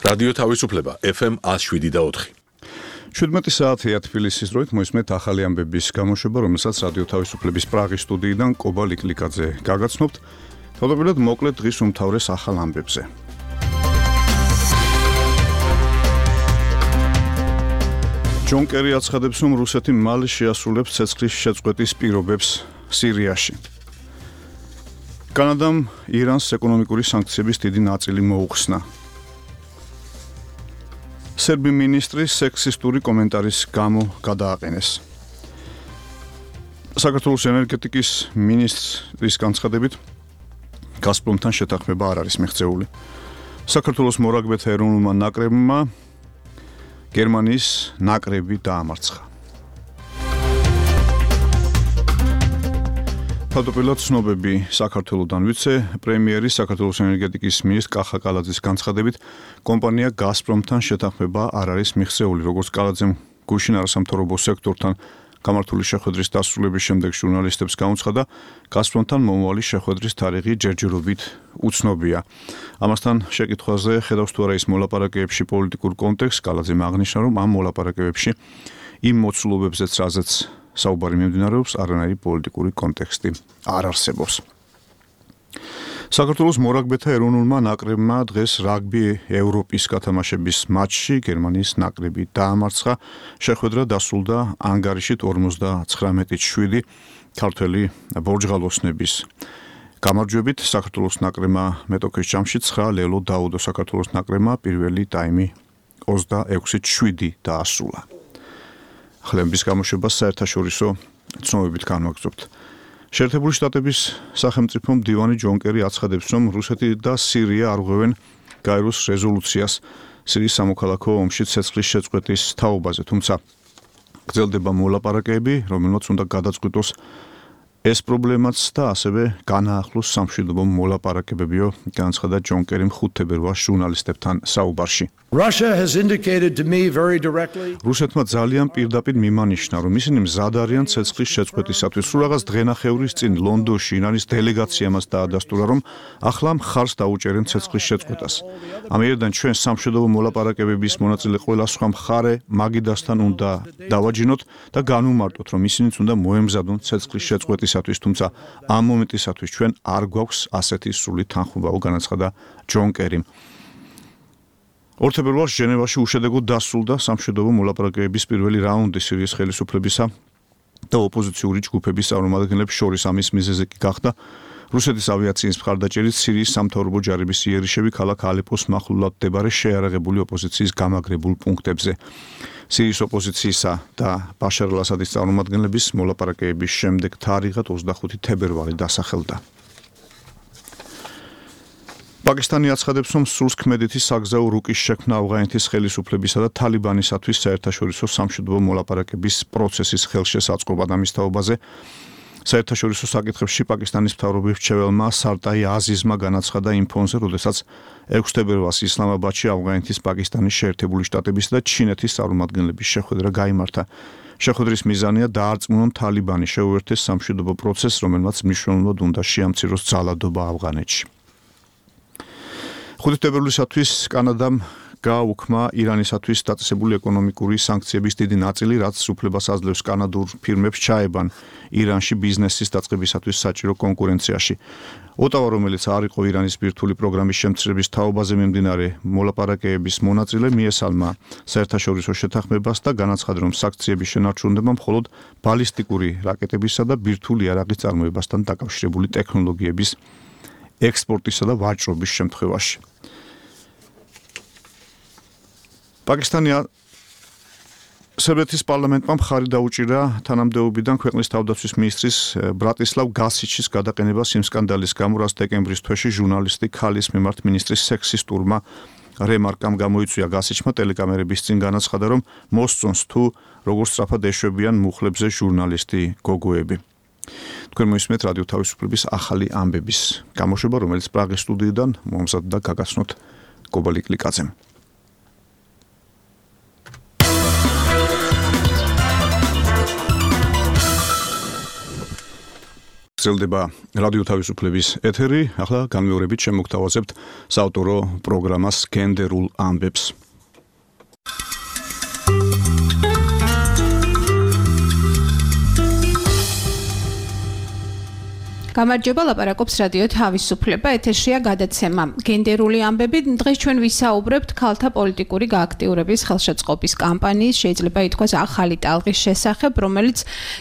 რადიო თავისუფლება FM 107.4. 17 საათია თბილისის დროით მოისმენთ ახალი ამბების გამოშვება, რომელსაც რადიო თავისუფლების პრაღის სტუდიიდან კობა ლიკლიკაძე გაგაცნობთ. თავდაპირველად მოკლედ დღის უმთავრეს ახალ ამბებზე. ჯონ კერი აცხადებს, რომ რუსეთი მალე შეასრულებს ცეცხლის შეწყვეტის პირობებს სირიაში. კანადამ ირანს ეკონომიკური სანქციების დიდი ნაწილი მოუხსნა. სერბი მინისტრი სექსისტური კომენტარის გამო გადააყენეს. საქართველოს ენერგეტიკის მინისტრის განცხადებით, გაზპრომთან შეთანხმება არ არის მიღწეული. საქართველოს მორაგბეთა ეროვნულმა ნაკრებმა გერმანიის ნაკრები დაამარცხა. თავდაპირველად ცნობები საქართველოდან ვიცე-პრემიერი საქართველოს ენერგეტიკის მინისტრ კახა კალაძის განცხადებით, კომპანია გაზპრომთან შეთანხმება არ არის მიღწეული, როგორც კალაძემ გუშინ არასამთავრობო სექტორთან გამართული შეხვედრის დასრულების შემდეგ ჟურნალისტებს გაუცხადა, გაზპრომთან მომავალი შეხვედრის თარიღი ჯერჯერობით უცნობია. ამასთან შეკითხვაზე ხედავს თუ არა ის მოლაპარაკებებში პოლიტიკურ კონტექსტს, კალაძემ აღნიშნა, რომ ამ მოლაპარაკებებში იმ მოცულობებზეც, რაზეც საუბარი მიმდინარეობს, არანაირი პოლიტიკური კონტექსტი არ არსებობს. საქართველოს მორაგბეთა ეროვნულმა ნაკრებმა დღეს რაგბი ევროპის გათამაშების მატჩში გერმანიის ნაკრები დაამარცხა. შეხვედრა დასრულდა ანგარიშით 59-7 ქართველი ბორჯღალოსნების გამარჯვებით. საქართველოს ნაკრებმა მეტოქის ჯამში 9 ლელო დაუდო საქართველოს ნაკრებმა პირველი ტაიმი 26-7 დაასრულა. ხლემბის გამოშვებას საერთაშორისო ცნობებით განვაგრძობთ. შეერთებული შტატების სახელმწიფო მდივანი ჯონ კერი აცხადებს, რომ რუსეთი და სირია არღვევენ გაეროს რეზოლუციას სირიის სამოქალაქო ომში ცეცხლის შეწყვეტის თაობაზე, თუმცა გრძელდება მოლაპარაკებები, რომელმაც უნდა გადაწყვიტოს ეს პრობლემაც და ასევე განაახლოს სამშვიდობო მოლაპარაკებებიო, განცხადა ჯონ კერიმ 5 თებერვალს ჟურნალისტებთან საუბარში. რუსეთმა ძალიან პირდაპირ მიმანიშნა, რომ ისინი მზად არიან ცეცხლის შეწყვეტისათვის. სულ რაღაც დღენახევრის წინ ლონდონში ირანის დელეგაციამ დაადასტურა, რომ ახლა მხარს დაუჭერენ ცეცხლის შეწყვეტას. ამიერიდან ჩვენ სამშვიდობო მოლაპარაკებების მონაწილე ყველა სხვა მხარე მაგიდასთან უნდა დავაჯინოთ და განვმარტოთ, რომ ისინიც უნდა მოემზადონ ცეცხლის შეწყვეტისათვის, თუმცა ამ მომენტისათვის ჩვენ არ გვაქვს ასეთი სრული თანხმობა, განაცხადა ჯონ კერიმ. 2 თებერვალს ჟენევაში უშედეგოდ დასრულდა სამშვიდობო მოლაპარაკებების პირველი რაუნდი სირიის ხელისუფლებისა და ოპოზიციური ჯგუფების წარმომადგენლებს შორის. ამის მიზეზი გახდა რუსეთის ავიაციის მხარდაჭერით სირიის სამთავრობო ჯარების იერიშები ქალაქ ალეპოს მახლობლად მდებარე შეიარაღებული ოპოზიციის გამაგრებულ პუნქტებზე. სირიის ოპოზიციისა და ბაშარ ალ-ასადის წარმომადგენლების მოლაპარაკებების შემდეგ თარიღად 25 თებერვალი დასახელდა. პაკისტანი აცხადებს, რომ სულთქმედეთის საგზაო რუკის შექმნა ავღანეთის ხელისუფლებისა და თალიბანისათვის საერთაშორისო სამშვიდობო მოლაპარაკების პროცესის ხელშესაწყობად. ამის თაობაზე საერთაშორისო საკითხებში პაკისტანის მთავრობის მრჩეველმა სარტაი აზიზმა განაცხადა იმ ფონზე, როდესაც 6 თებერვალს ისლამაბადში ავღანეთის, პაკისტანის შეერთებული შტატებისა და ჩინეთის წარმომადგენლების შეხვედრა გაიმართა. შეხვედრის მიზანია დაარწმუნონ თალიბანი შეუერთდეს სამშვიდობო პროცესს, რომელმაც მნიშვნელოვნად უნდა შეამციროს ძალადობა ავღანეთში. 5 თებერვლისათვის კანადამ გააუქმა ირანისათვის დაწესებული ეკონომიკური სანქციების დიდი ნაწილი, რაც უფლებას აძლევს კანადურ ფირმებს ჩაებან ირანში ბიზნესის დაწყებისათვის საჭირო კონკურენციაში. ოტავა, რომელიც არ იყო ირანის ბირთვული პროგრამის შემცირების თაობაზე მიმდინარე მოლაპარაკებების მონაწილე, მიესალმა საერთაშორისო შეთანხმებას და განაცხადა, რომ სანქციების შენარჩუნება მხოლოდ ბალისტიკური რაკეტებისა და ბირთვული იარაღის წარმოებასთან დაკავშირებული ტექნოლოგიების ექსპორტისა და ვაჭრობის შემთხვევაში. სერბეთის პარლამენტმა მხარი დაუჭირა თანამდებობიდან ქვეყნის თავდაცვის მინისტრის ბრატისლავ გასიჩის გადაყენებას იმ სკანდალის გამო, რაც დეკემბრის თვეში ჟურნალისტი ქალის მიმართ მინისტრის სექსისტურმა რემარკამ გამოიწვია. გასიჩმა ტელეკამერების წინ განაცხადა, რომ მოსწონს თუ როგორ სწრაფად ეშვებიან მუხლებზე ჟურნალისტი გოგოები. თქვენ მოისმენთ რადიო თავისუფლების ახალი ამბების გამოშვება, რომელიც პრაღის სტუდიიდან მომზადდა გაგაცნოთ კობა ლიკლიკაძემ. გრძელდება რადიო თავისუფლების ეთერი. ახლა განმეორებით შემოგთავაზებთ საავტორო პროგრამას გენდერულ ამბებს. გამარჯობა, ლაპარაკობს რადიო თავისუფლება, ეთერშია გადაცემა გენდერული ამბები. დღეს ჩვენ ვისაუბრებთ ქალთა პოლიტიკური გააქტიურების ხელშეწყობის კამპანიის, შეიძლება ითქვას ახალი ტალღის შესახებ, რომელიც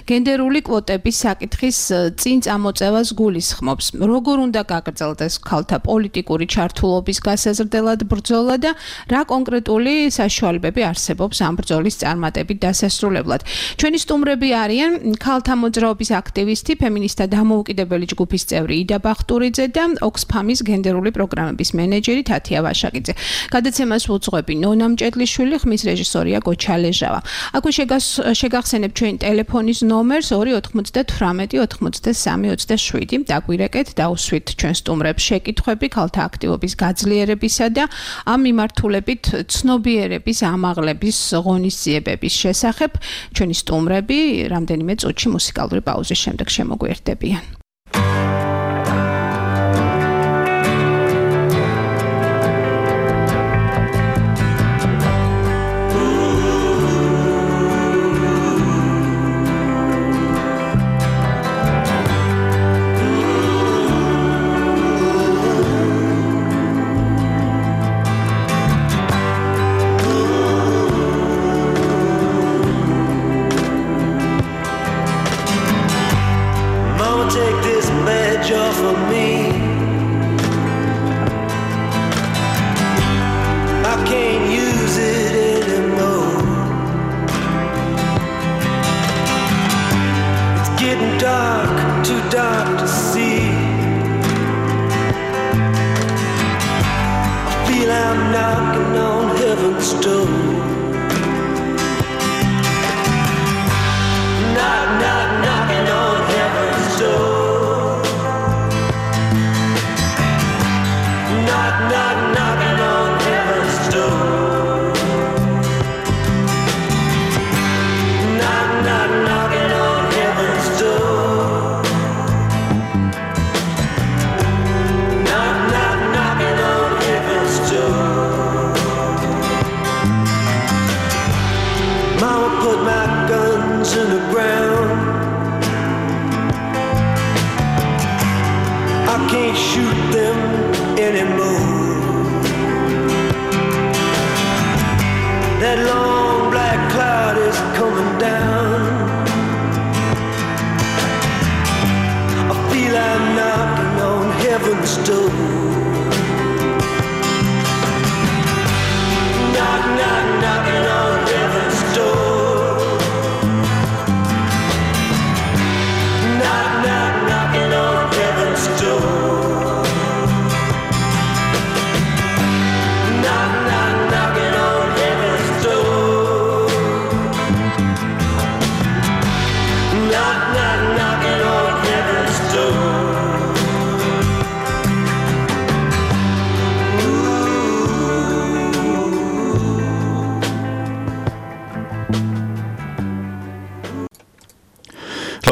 გენდერული კვოტების საკითხის წინ წამოწევას გულისხმობს. როგორ უნდა გაგრძელდეს ქალთა პოლიტიკური ჩართულობის გასაზრდელად ბრძოლა და რა კონკრეტული საშუალებები არსებობს ამ ბრძოლის წარმატებით დასასრულებლად. ჩვენი სტუმრები არიან ქალთა მოძრაობის აქტივისტი, ფემინისტთა დამოუკიდებელი ჯგუფის წევრი იდა ბახტურიძე და ოქსფამის გენდერული პროგრამების მენეჯერი თათია ვაშაკიძე. გადაცემას უძღვები ნონა მჭედლიშვილი, ხმის რეჟისორია გოჩა ლეჟავა. აქვე შეგახსენებ ჩვენი ტელეფონის ნომერს 298 83 27. დაგვირეკეთ, დაუსვით ჩვენ სტუმრებს შეკითხვები ქალთა აქტივობის გაძლიერებისა და ამ მიმართულებით ცნობიერების ამაღლების ღონისძიებების შესახებ. ჩვენი სტუმრები რამდენიმე წუთში მუსიკალური პაუზის შემდეგ შემოგვიერთდებიან.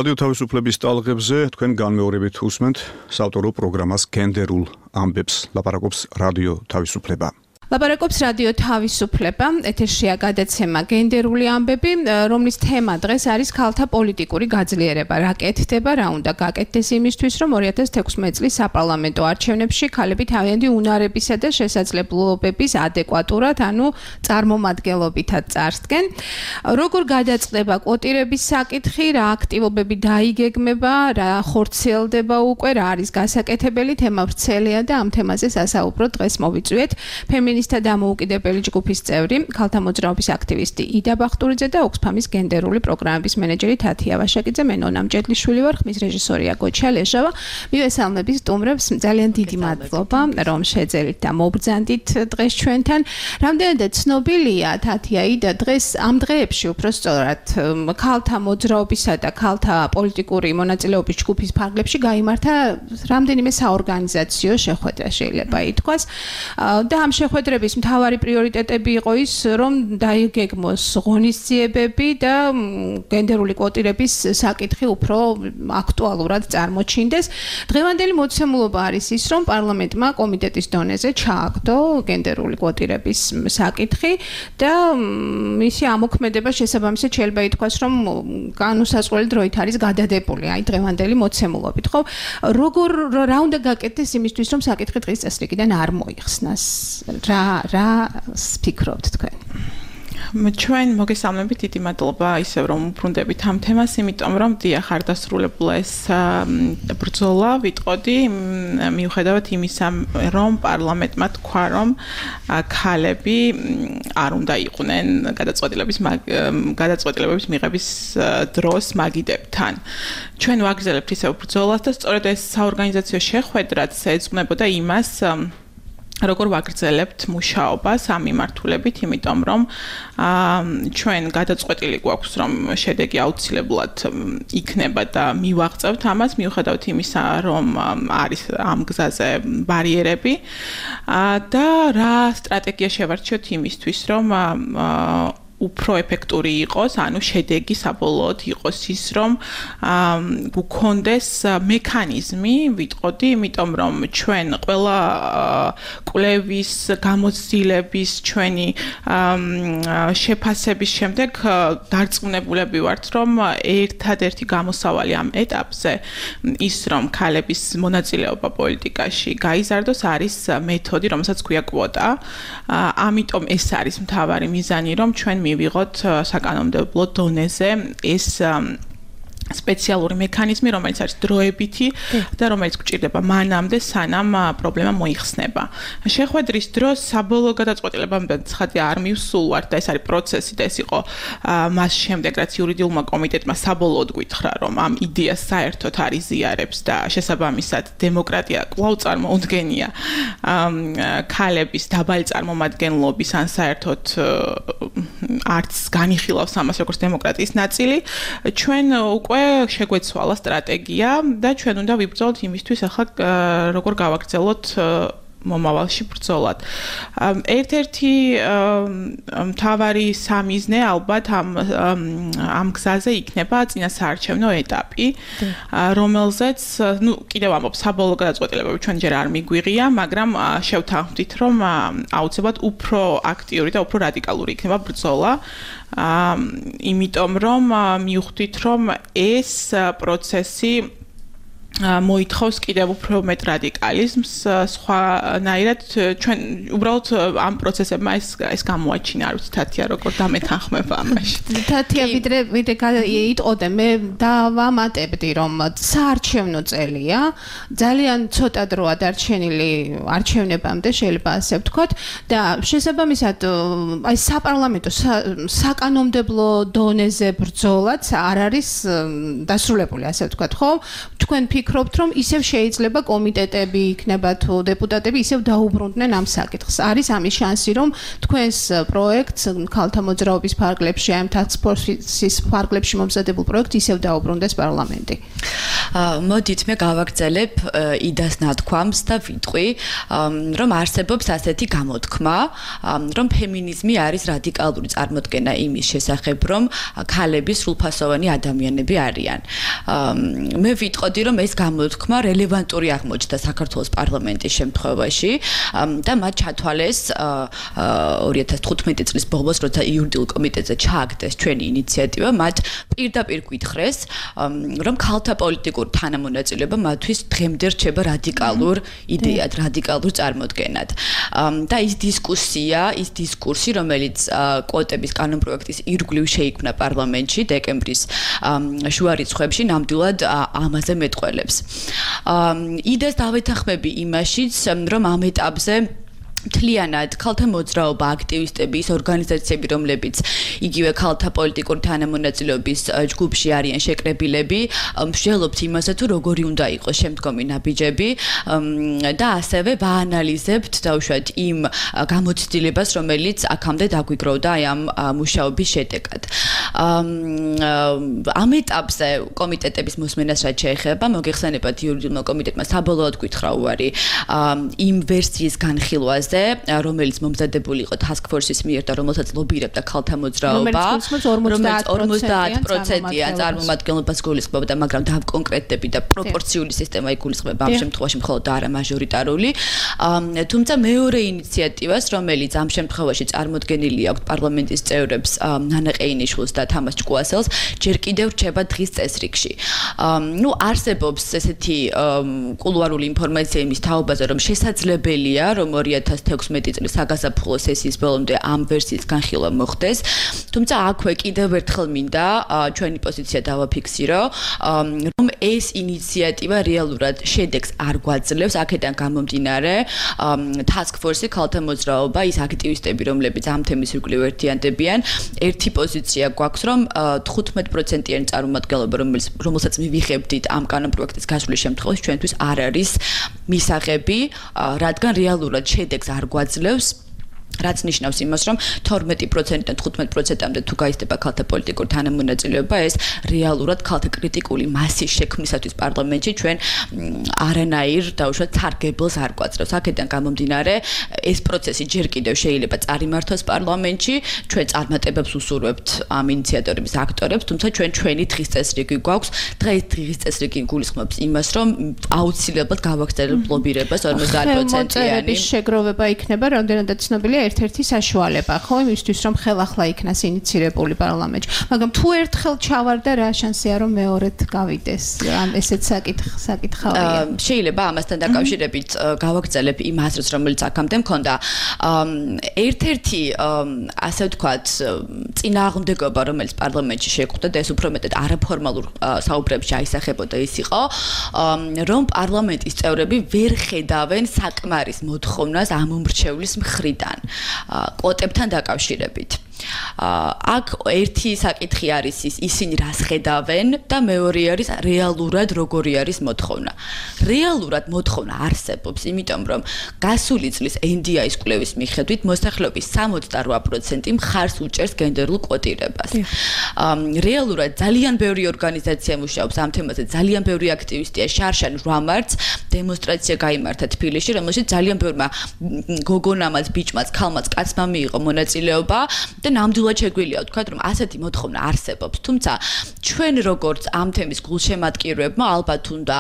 რადიო თავისუფლების ტალღებზე თქვენ განმეორებით უსმენთ საავტორო პროგრამას გენდერულ ამბებს. ლაპარაკობს რადიო თავისუფლება. ლაპარაკობს რადიო თავისუფლება, ეთერშია გადაცემა გენდერული ამბები, რომლის თემა დღეს არის ქალთა პოლიტიკური გაძლიერება. რა კეთდება, რა უნდა გაკეთდეს იმისთვის, რომ 2016 წლის საპარლამენტო არჩევნებში ქალები თავიანთი უნარებისა და შესაძლებლობების ადეკვატურად, ანუ წარმომადგენლობითად წარსდგენ. როგორ გადაწყდება კვოტირების საკითხი, რა აქტივობები დაიგეგმება, რა ხორციელდება უკვე, რა არის გასაკეთებელი, თემა ვრცელია და ამ თემაზე სასაუბრო დღეს მოვიწვიეთ ფემინისტთა დამოუკიდებელი ჯგუფის წევრი, ქალთა მოძრაობის აქტივისტი იდა ბახტურიძე და ოქსფამის გენდერული პროგრამების მენეჯერი თათია ვაშაკიძე. მე ნონა მჭედლიშვილი ვარ, ხმის რეჟისორია გოჩა ლეჟავა. მივესალმებით სტუმრებს, ძალიან დიდი მადლობა, რომ შეძელით და მობრძანდით დღეს ჩვენთან. რამდენადაც ცნობილია თათია იდა დღეს ამ დღეებში უпростоრად ქალთა მოძრაობისა და ქალთა პოლიტიკური მონაწილეობის ჯგუფის ფარგლებში გაიმართა რამდენიმე საორგანიზაციო შეხვედრა, შეიძლება ითქვას. და ამ შეხვედრებში შეხვედრების მთავარი პრიორიტეტები იყო ის, რომ დაიგეგმოს ღონისძიებები და გენდერული კვოტირების საკითხი უფრო აქტუალურად წარმოჩინდეს. დღევანდელი მოცემულობა არის ის, რომ პარლამენტმა კომიტეტის დონეზე ჩააგდო გენდერული კვოტირების საკითხი და მისი ამოქმედება შესაბამისად შეიძლება ითქვას, რომ განუსაზღვრელი დროით არის გადადებული აი დღევანდელი მოცემულობით, ხო? რა უნდა გაკეთდეს იმისთვის, რომ საკითხი დღის წესრიგიდან არ მოიხსნას? რა ფიქრობთ თქვენ? ჩვენ მოგესალმებით, დიდი მადლობა ისევ რომ უბრუნდებით ამ თემას, იმიტომ რომ დიახ არ დასრულებულა ეს ბრძოლა, ვიტყოდი, მიუხედავად იმისა, რომ პარლამენტმა თქვა, რომ ქალები არ უნდა იყვნენ გადაწყვეტილებების მიღების დროს მაგიდებთან. ჩვენ ვაგრძელებთ ისევ ბრძოლას და სწორედ ეს საორგანიზაციო შეხვედრაც ეძღვნებოდა იმას, როგორ ვაგრძელებთ მუშაობას ამ მიმართულებით, იმიტომ რომ ჩვენ გადაწყვეტილი გვაქვს, რომ შედეგი აუცილებლად იქნება და მივაღწევთ ამას, მიუხედავად იმისა, რომ არის ამ გზაზე ბარიერები და რა სტრატეგია შევარჩიოთ იმისთვის, რომ უფრო ეფექტური იყოს, ანუ შედეგი საბოლოოდ იყოს ის, რომ გქონდეს მექანიზმი, ვიტყოდი, იმიტომ რომ ჩვენ ყველა კვლევის, გამოცდილების, ჩვენი შეფასების შემდეგ დარწმუნებულები ვართ, რომ ერთადერთი გამოსავალი ამ ეტაპზე ის, რომ ქალების მონაწილეობა პოლიტიკაში გაიზარდოს, არის მეთოდი, რომელსაც ქვია კვოტა. ამიტომ ეს არის მთავარი მიზანი, რომ ჩვენ მივიღოთ საკანონმდებლო დონეზე ეს სპეციალური მექანიზმი, რომელიც არის დროებითი და რომელიც გვჭირდება მანამდე, სანამ პრობლემა მოიხსნება. შეხვედრის დროს საბოლოო გადაწყვეტილებამდე ცხადია არ მივსულვართ და ეს არის პროცესი და ეს იყო მას შემდეგ, რაც იურიდიულმა კომიტეტმა საბოლოოდ გითხრა, რომ ამ იდეას საერთოდ არ იზიარებს და შესაბამისად დემოკრატია კვლავ წარმოუდგენია ქალების დაბალი წარმომადგენლობის ან საერთოდ არც განიხილავს ამას როგორც დემოკრატიის ნაწილი. ჩვენ უკვე შეგვეცვალა სტრატეგია და ჩვენ უნდა ვიბრძოლოთ იმისთვის, ახლა როგორ გავაგრძელოთ მომავალში ბრძოლად. ერთ-ერთი მთავარი სამიზნე ალბათ ამ გზაზე იქნება წინასაარჩევნო ეტაპი, რომელზეც, კიდევ ამბობ, საბოლოო გადაწყვეტილებები ჩვენ ჯერ არ მიგვიღია, მაგრამ შევთანხმდით, რომ აუცილებლად უფრო აქტიური და უფრო რადიკალური იქნება ბრძოლა. იმიტომ რომ მივხვდით, რომ ეს პროცესი მოითხოვს კიდევ უფრო მეტ რადიკალიზმს, სხვანაირად ჩვენ უბრალოდ ამ პროცესებმა ეს გამოაჩინა, არ ვიცი თათია როგორ დამეთანხმება ამაში. თათია ვიდრე იტყოდე, მე დავამატებდი, რომ საარჩევნო წელია, ძალიან ცოტა დროა დარჩენილი არჩევნებამდე, შეიძლება ასე ვთქვათ და შესაბამისად აი საპარლამენტო საკანონმდებლო დონეზე ბრძოლაც არ არის დასრულებული, ასე ვთქვათ, ხო? თქვენ ფიქრობთ, რომ ისევ შეიძლება კომიტეტები იქნება თუ დეპუტატები ისევ დაუბრუნდნენ ამ საკითხს. არის ამის შანსი, რომ თქვენს პროექტს ქალთა მოძრაობის ფარგლებში, ამ task force-ის ფარგლებში მომზადებულ პროექტს ისევ დაუბრუნდეს პარლამენტი. მოდით მე გავაგრძელებ იდას ნათქვამს და ვიტყვი, რომ არსებობს ასეთი გამოთქმა, რომ ფემინიზმი არის რადიკალური წარმოდგენა იმის შესახებ, რომ ქალები სრულფასოვანი ადამიანები არიან. მე ვიტყოდი, რომ ეს გამოთქმა რელევანტური აღმოჩნდა საქართველოს პარლამენტის შემთხვევაში და მათ ჩათვალეს 2015 წლის ბოლოს, როცა იურიდიულ კომიტეტზე ჩააგდეს ჩვენი ინიციატივა, მათ პირდაპირ გითხრეს, რომ ქალთა პოლიტიკური თანამონაწილეობა მათთვის დღემდე რჩება რადიკალურ იდეად, რადიკალურ წარმოდგენად. და ის დისკურსი, რომელიც კვოტების კანონპროექტის ირგვლივ შეიქმნა პარლამენტში დეკემბრის შუა რიცხვებში, ნამდვილად ამაზე მეტყველებს. იდეას დავეთანხმები იმაშიც, რომ ამ ეტაპზე მთლიანად ქალთა მოძრაობა, აქტივისტები, ის ორგანიზაციები, რომლებიც იგივე ქალთა პოლიტიკური თანამონაწილეობის ჯგუფში არიან შეკრებილები, მსჯელობთ იმაზე, თუ როგორი უნდა იყოს შემდგომი ნაბიჯები და ასევე ვაანალიზებთ დაუშვათ იმ გამოცდილებას, რომელიც აქამდე დაგვიგროვდა აი ამ მუშაობის შედეგად. ამ ეტაპზე კომიტეტების მოსმენას რაც შეეხება, მოგეხსენებათ იურიდიულმა კომიტეტმა საბოლოოდ გითხრა უარი იმ ვერსიის განხილვაზე, პროგრამაზე, რომელიც მომზადებული იყო task force-ის მიერ და რომელსაც ლობირებდა ქალთა მოძრაობა, რომელიც 50%-იან წარმომადგენლობას გულისხმობდა, მაგრამ დავკონკრეტდები და პროპორციული სისტემა იგულისხმება ამ შემთხვევაში მხოლოდ და არა მაჟორიტარული. თუმცა მეორე ინიციატივას, რომელიც ამ შემთხვევაში წარმოდგენილი აქვს პარლამენტის წევრებს ნანა ყეინიშვილს და თამას ჭკუასელს, ჯერ კიდევ რჩება დღის წესრიგში. არსებობს ესეთი კულუარული ინფორმაცია იმის თაობაზე, რომ შესაძლებელია, რომ 2016 წლის საგაზაფხულო სესიის ბოლომდე ამ ვერსიის განხილვა მოხდეს. თუმცა აქვე კიდევ ერთხელ მინდა ჩვენი პოზიცია დავაფიქსირო, რომ ეს ინიციატივა რეალურად შედეგს არ გვაძლევს, აქედან გამომდინარე, task force-ი ქალთა მოძრაობა, ის აქტივისტები, რომლებიც ამ თემის ირგვლივ ერთიანდებიან, ერთი პოზიცია გვაქვს, რომ 15%-იანი წარმომადგენლობა, რომელსაც მივიღებდით ამ კანონპროექტის გასვლის შემთხვევაში, ჩვენთვის არ არის მისაღები, რადგან რეალურად შედეგს არ გვაძლევს. რაც ნიშნავს იმას, რომ 12%-დან 15%-მდე თუ გაიზრდება ქალთა პოლიტიკური თანამონაწილეობა, ეს რეალურად ქალთა კრიტიკული მასის შექმნისათვის პარლამენტში ჩვენ არანაირ დაუშვათ სარგებელს არ გვაძლევს. აქედან გამომდინარე, ეს პროცესი ჯერ კიდევ შეიძლება წარიმართოს პარლამენტში, ჩვენ წარმატებებს უსურვებთ ამ ინიციატორების აქტორებს, თუმცა ჩვენი დღის წესრიგი გვაქვს. დღის წესრიგი გულისხმობს იმას, რომ აუცილებლად გავაგრძელებთ ლობირებას 50%-იანი შეგროვება იქნება, რამდენადაც ცნობილია ერთ-ერთი საშუალება, ხო, იმისთვის რომ ხელახლა იქნას ინიცირებული პარლამენტში. მაგრამ თუ ერთხელ ჩავარდა, რა შანსია რომ მეორედ გავიდეს? ესეც საკითხავია. შეიძლება ამასთან დაკავშირებით გავაგრძელებ იმ აზრს, რომელიც აქამდე მქონდა. ერთ-ერთი ასე ვთქვათ, წინააღმდეგობა, რომელიც პარლამენტში შეგვხვდა და ეს უფრო მეტად არაფორმალურ საუბრებში აისახებოდა, ის იყო, რომ პარლამენტის წევრები ვერ ხედავენ საკმარის მოთხოვნას ამ უმრჩევლის მხრიდან. კვოტებთან დაკავშირებით. აქ ერთი საკითხი არის ისინი რას ხედავენ და მეორე არის რეალურად როგორი არის მოთხოვნა. რეალურად მოთხოვნა არსებობს, იმიტომ რომ გასული წლის NDI-ის კვლევის მიხედვით მოსახლეობის 68% მხარს უჭერს გენდერულ კვოტირებას. რეალურად ძალიან ბევრი ორგანიზაცია მუშაობს ამ თემაზე, ძალიან ბევრი აქტივისტია, შარშან 8 მარტს დემონსტრაცია გაიმართა თბილისში, რომელშიც ძალიან ბევრმა გოგონამაც, ბიჭმაც, ქალმაც, კაცმა მიიღო მონაწილეობა და ნამდვილად შეგვიძლია ვთქვათ, რომ ასეთი მოთხოვნა არსებობს, თუმცა ჩვენ როგორც ამ თემის გულშემატკივრებმა ალბათ უნდა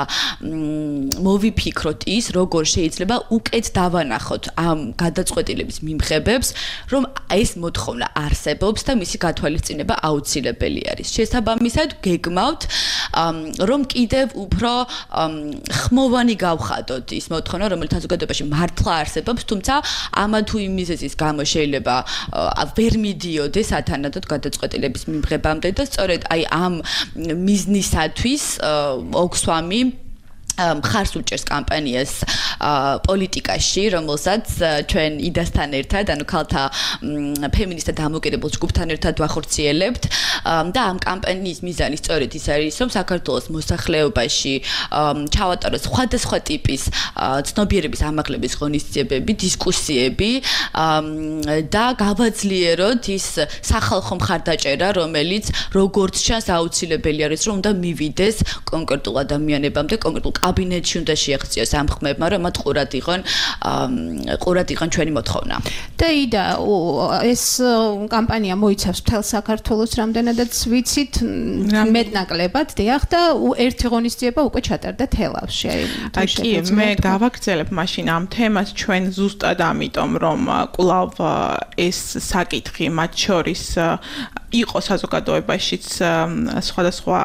მოვიფიქროთ ის, როგორ შეიძლება უკეთ დავანახოთ ამ გადაწყვეტილების მიმღებებს, რომ ეს მოთხოვნა არსებობს და მისი გათვალისწინება აუცილებელი არის. შესაბამისად, გეგმავთ, რომ კიდევ უფრო ხმოვანი გავხადოთ ის მოთხოვნა, რომელიც საზოგადოებაში მართლა არსებობს, თუმცა ამა თუ იმ მიზეზის გამო შეიძლება ვერ მიდიოდეს ათანადოდ გადაწყვეტილების მიმღებამდე და სწორედ აი ამ მიზნისათვის ოქსვამი მხარს უჭერს კამპანიას პოლიტიკაში, რომელსაც ჩვენ იდასთან ერთად, ანუ ქალთა ფემინისტთა დამოუკიდებელ ჯგუფთან ერთად ვახორციელებთ და ამ კამპანიის მიზანი სწორედ ის არის, რომ საქართველოს მოსახლეობაში ჩავატაროს სხვადასხვა ტიპის ცნობიერების ამაღლების ღონისძიებები, დისკუსიები და გავაძლიეროთ ის სახალხო მხარდაჭერა, რომელიც როგორც ჩანს აუცილებელი არის, რომ უნდა მივიდეს კონკრეტულ ადამიანებამდე, კონკრეტულ კაბინეტში უნდა შეაღწიოს ამ ხმებმა, რომ მათ ყურად იყვნენ ჩვენი მოთხოვნა. და იდა ეს კამპანია მოიცავს მთელ საქართველოს, რამდენადაც ვიცით, მეტნაკლებად, დიახ, და ერთი ღონისძიება უკვე ჩატარდა თელავში. კი, მე გავაგრძელებ მაშინ ამ თემას ჩვენ ზუსტად ამიტომ, რომ კვლავ ეს საკითხი მათ შორის იყო საზოგადოებაშიც სხვადასხვა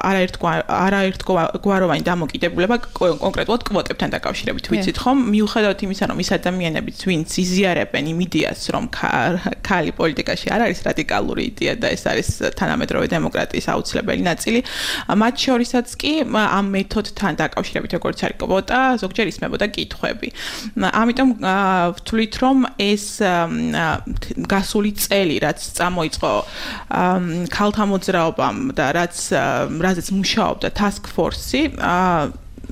არაერთგვაროვანი დამოკიდებულება კონკრეტულად კვოტებთან დაკავშირებით ვიცით ხომ მიუხედავად იმისა რომ ის ადამიანებიც ვინც იზიარებენ იმ იდეას რომ ქალი პოლიტიკაში არ არის რადიკალური იდეა და ეს არის თანამედროვე დემოკრატიის აუცილებელი ნაწილი მათ შორისაც კი ამ მეთოდთან დაკავშირებით როგორც არის კვოტა ზოგჯერ ისმებოდა კითხვები ამიტომ ვთვლით რომ ეს გასული წელი რაც წამოიწყო ქალთა მოძრაობამ და რაზეც მუშაობდა task force-ი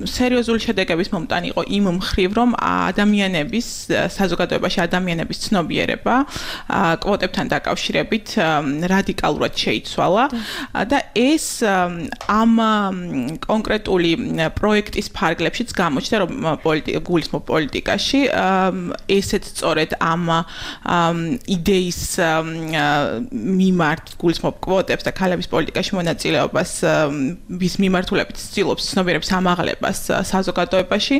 სერიოზული შედეგების მომტანი იყო იმ მხრივ, რომ ადამიანების საზოგადოებაში ადამიანების ცნობიერება კვოტებთან დაკავშირებით რადიკალურად შეიცვალა და ეს ამ კონკრეტული პროექტის ფარგლებშიც გამოჩნდა, რომ გულისხმობ პოლიტიკაში ესეც სწორედ ამ იდეის მიმართ გულისხმობ კვოტებს და ქალების პოლიტიკაში მონაწილეობას ვის მიმართულებით ცდილობს ცნობიერების ამაღლებას საზოგადოებაში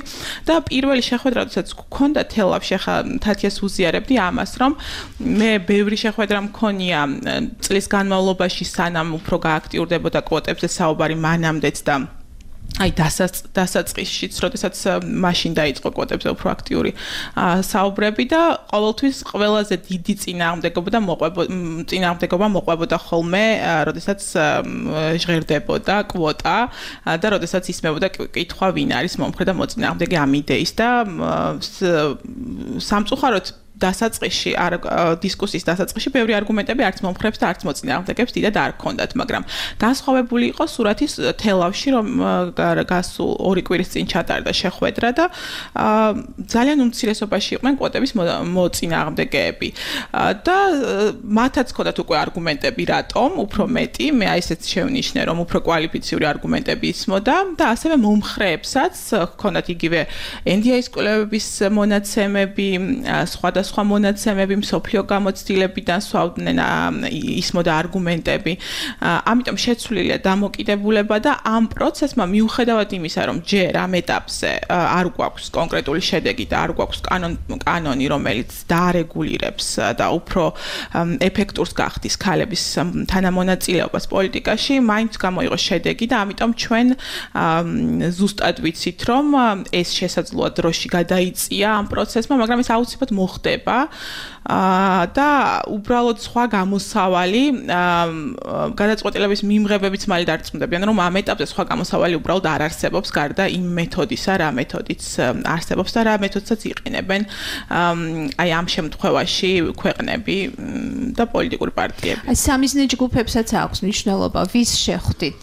და პირველი შეხვედრა, როდესაც გქონდა თელავში, ახლა თათიას უზიარებდი ამას, რომ მე ბევრი შეხვედრა მქონია წლის განმავლობაში, სანამ უფრო გააქტიურდებოდა კვოტებზე საუბარი მანამდეც და აი დასაწყისშიც, როდესაც მაშინ დაიწყო კვოტებზე უფრო აქტიური საუბრები და ყოველთვის ყველაზე დიდი წინააღმდეგობა მოყვებოდა ხოლმე, როდესაც ჟღერდებოდა კვოტა და როდესაც ისმებოდა კითხვა, ვინ არის მომხრე და მოწინააღმდეგე ამ იდეის და სამწუხაროდ დასაწყისში დისკუსიის დასაწყისში ბევრი არგუმენტები არც მომხრებს და არც მოწინააღმდეგებს დიდად არ ჰქონდათ, მაგრამ განსხვავებული იყო სურათის თელავში, რომ გასულ 2 კვირის წინ ჩატარდა შეხვედრა და ძალიან უმცირესობაში იყვნენ კვოტების მოწინააღმდეგეები და მათაც ჰქონდათ უკვე არგუმენტები, რატომ უფრო მეტი, მე აი ესეც შევნიშნე, რომ უფრო კვალიფიციური არგუმენტები ისმოდა და ასევე მომხრეებსაც ჰქონდათ იგივე NDI-ის კვლევების მონაცემები, სხვა მონაცემები მსოფლიო გამოცდილებიდან სვავდნენ ისმოდა არგუმენტები. ამიტომ შეცვლილია დამოკიდებულება და ამ პროცესმა მიუხედავად იმისა, რომ ჯერ ამ ეტაპზე არ გვაქვს კონკრეტული შედეგი და არ გვაქვს კანონი, რომელიც დაარეგულირებს და უფრო ეფექტურს გახდის ქალების თანამონაწილეობას პოლიტიკაში, მაინც გამოიღო შედეგი და ამიტომ ჩვენ ზუსტად ვიცით, რომ ეს შესაძლოა დროში გადაიწია ამ პროცესმა, მაგრამ ეს აუცილებლად მოხდება და უბრალოდ სხვა გამოსავალი გადაწყვეტილების მიმღებებიც მალე დარწმუნდებიან, რომ ამ ეტაპზე სხვა გამოსავალი უბრალოდ არ არსებობს გარდა იმ მეთოდისა, რა მეთოდიც არსებობს და რა მეთოდსაც იყენებენ აი ამ შემთხვევაში ქვეყნები და პოლიტიკური პარტიები. აი სამიზნე ჯგუფებსაც აქვს მნიშვნელობა, ვის შეხვდით,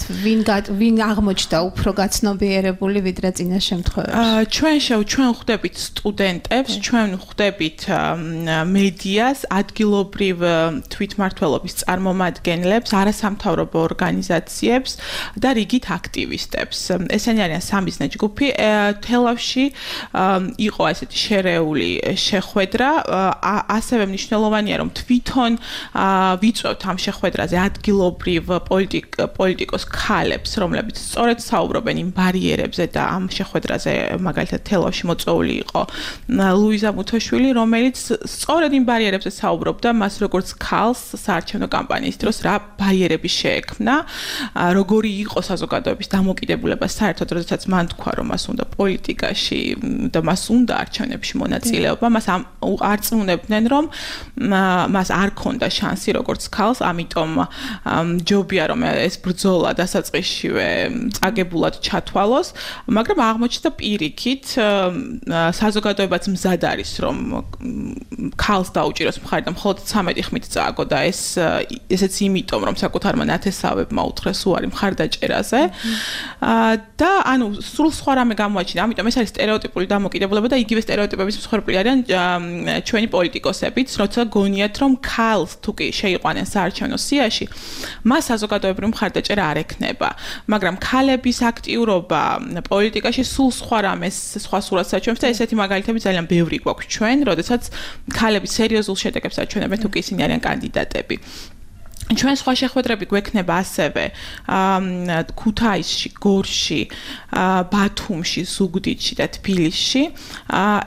ვინ აღმოჩნდა უფრო გაცნობიერებული ვიდრე წინა შემთხვევაში? ჩვენ ხვდებით სტუდენტებს, ჩვენ ხვდებით მედიას, ადგილობრივ თვითმმართველობის წარმომადგენლებს, არასამთავრობო ორგანიზაციებს და რიგით აქტივისტებს. ესენი არიან სამიზნე ჯგუფი. თელავში იყო ესეთი შერეული შეხვედრა, ასევე მნიშვნელოვანია, რომ თვითონ ვიწვევთ ამ შეხვედრაზე ადგილობრივ პოლიტიკოს ქალებს, რომლებიც სწორედ საუბრობენ იმ ბარიერებზე და ამ შეხვედრაზე მაგალითად თელავში მოწვეული იყო ლუიზა მუთოშვილი, რომელიც სწორედ იმ ბარიერებზე საუბრობდა, მას როგორც ქალს საარჩევნო კამპანიის დროს რა ბარიერები შეექმნა, როგორი იყო საზოგადოების დამოკიდებულება საერთოდ, როდესაც მან თქვა, რომ მას უნდა პოლიტიკაში და მას უნდა არჩევნებში მონაწილეობა, მას არწმუნებდნენ, რომ მას არ ქონდა შანსი როგორც ქალს, ამიტომ ჯობია, რომ ეს ბრძოლა დასაწყისშივე წაგებულად ჩათვალოს, მაგრამ აღმოჩნდა პირიქით, საზოგადოებაც მზად არის, რომ ქალს დაუჭიროს მხარი და მხოლოდ 13 ხმით წააგო და ესეც იმიტომ, რომ საკუთარმა ნათესავებმა უთხრეს უარი მხარდაჭერაზე და ანუ სულ სხვა რამე გამოაჩინა. ამიტომ ეს არის სტერეოტიპული დამოკიდებულება და იგივე სტერეოტიპების მსხვერპლი არიან ჩვენი პოლიტიკოსებიც, როცა გონიათ, რომ ქალს თუ კი შეიყვანენ საარჩევნო სიაში, მას საზოგადოებრივი მხარდაჭერა არ ექნება, მაგრამ ქალების აქტიურობა პოლიტიკაში სულ სხვა რამეს, სხვა სურათს აჩვენებს და ესეთი მაგალითები ძალიან ბევრი გვაქვს ჩვენ, როდესაც ქალები სერიოზულ შედეგებს აჩვენებენ, თუ კი ისინი არიან კანდიდატები. ჩვენ სხვა შეხვედრები გვექნება ასევე ქუთაისში, გორში, ბათუმში, ზუგდიდში და თბილისში.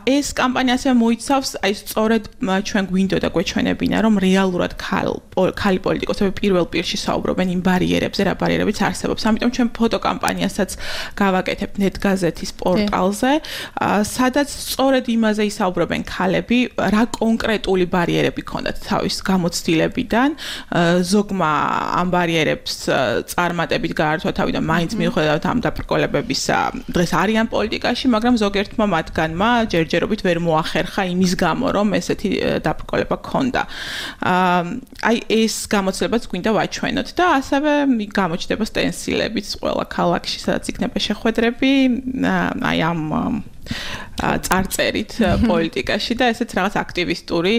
ეს კამპანია ასევე მოიცავს აი სწორედ ჩვენ გვინდოდა გვეჩვენებინა, რომ რეალურად ქალი პოლიტიკოსები პირველ პირში საუბრობენ იმ ბარიერებზე, რა ბარიერებიც არსებობს. ამიტომ ჩვენ ფოტოკამპანიასაც გავაკეთებთ ნეტგაზეთის პორტალზე, სადაც სწორედ იმაზე ისაუბრებენ ქალები, რა კონკრეტული ბარიერები ქონდათ თავის გამოცდილებიდან, ზოგმა ამ ბარიერებს წარმატებით გაართვა თავი და მაინც მიუხედავად ამ დაბრკოლებებისა დღეს არიან პოლიტიკაში, მაგრამ ზოგერთმა მათგანმა ჯერჯერობით ვერ მოახერხა იმის გამო, რომ ესეთი დაბრკოლება ჰქონდა. აი ეს გამოცდილებაც გვინდა ვაჩვენოთ და ასევე გამოჩნდება სტენსილებიც ყველა ქალაქში, სადაც იქნება შეხვედრები, აი ამ წარწერით პოლიტიკაში და ესეც რაღაც აქტივისტური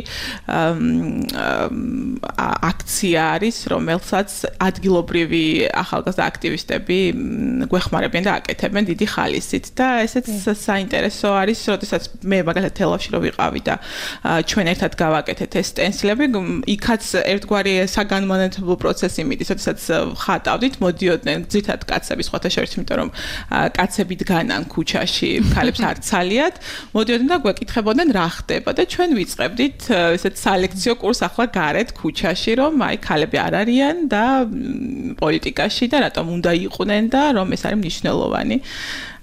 აქცია არის, რომელსაც ადგილობრივი ახალგაზრდა აქტივისტები გვეხმარებიან და აკეთებენ დიდი ხალისით და ესეც საინტერესო არის, როდესაც მე მაგალითად თელავში რო ვიყავი და ჩვენ ერთად გავაკეთეთ ეს სტენსილები, იქაც ერთგვარი საგანმანათლებლო პროცესი მიდის, როდესაც ხატავდით, მოდიოდნენ ძირითადად კაცები სხვათა შორის, იმიტომ რომ კაცები დგანან ქუჩაში, ქალებს არ ცალიათ, მოდიოდნენ და გვეკითხებოდნენ რა ხდება და ჩვენ ვიწყებდით ესეთ სალექციო კურსს ახლა გარეთ ქუჩაში, რომ აი ქალები არ არიან და პოლიტიკაში და რატომ უნდა იყვნენ და რომ ეს არის მნიშვნელოვანი.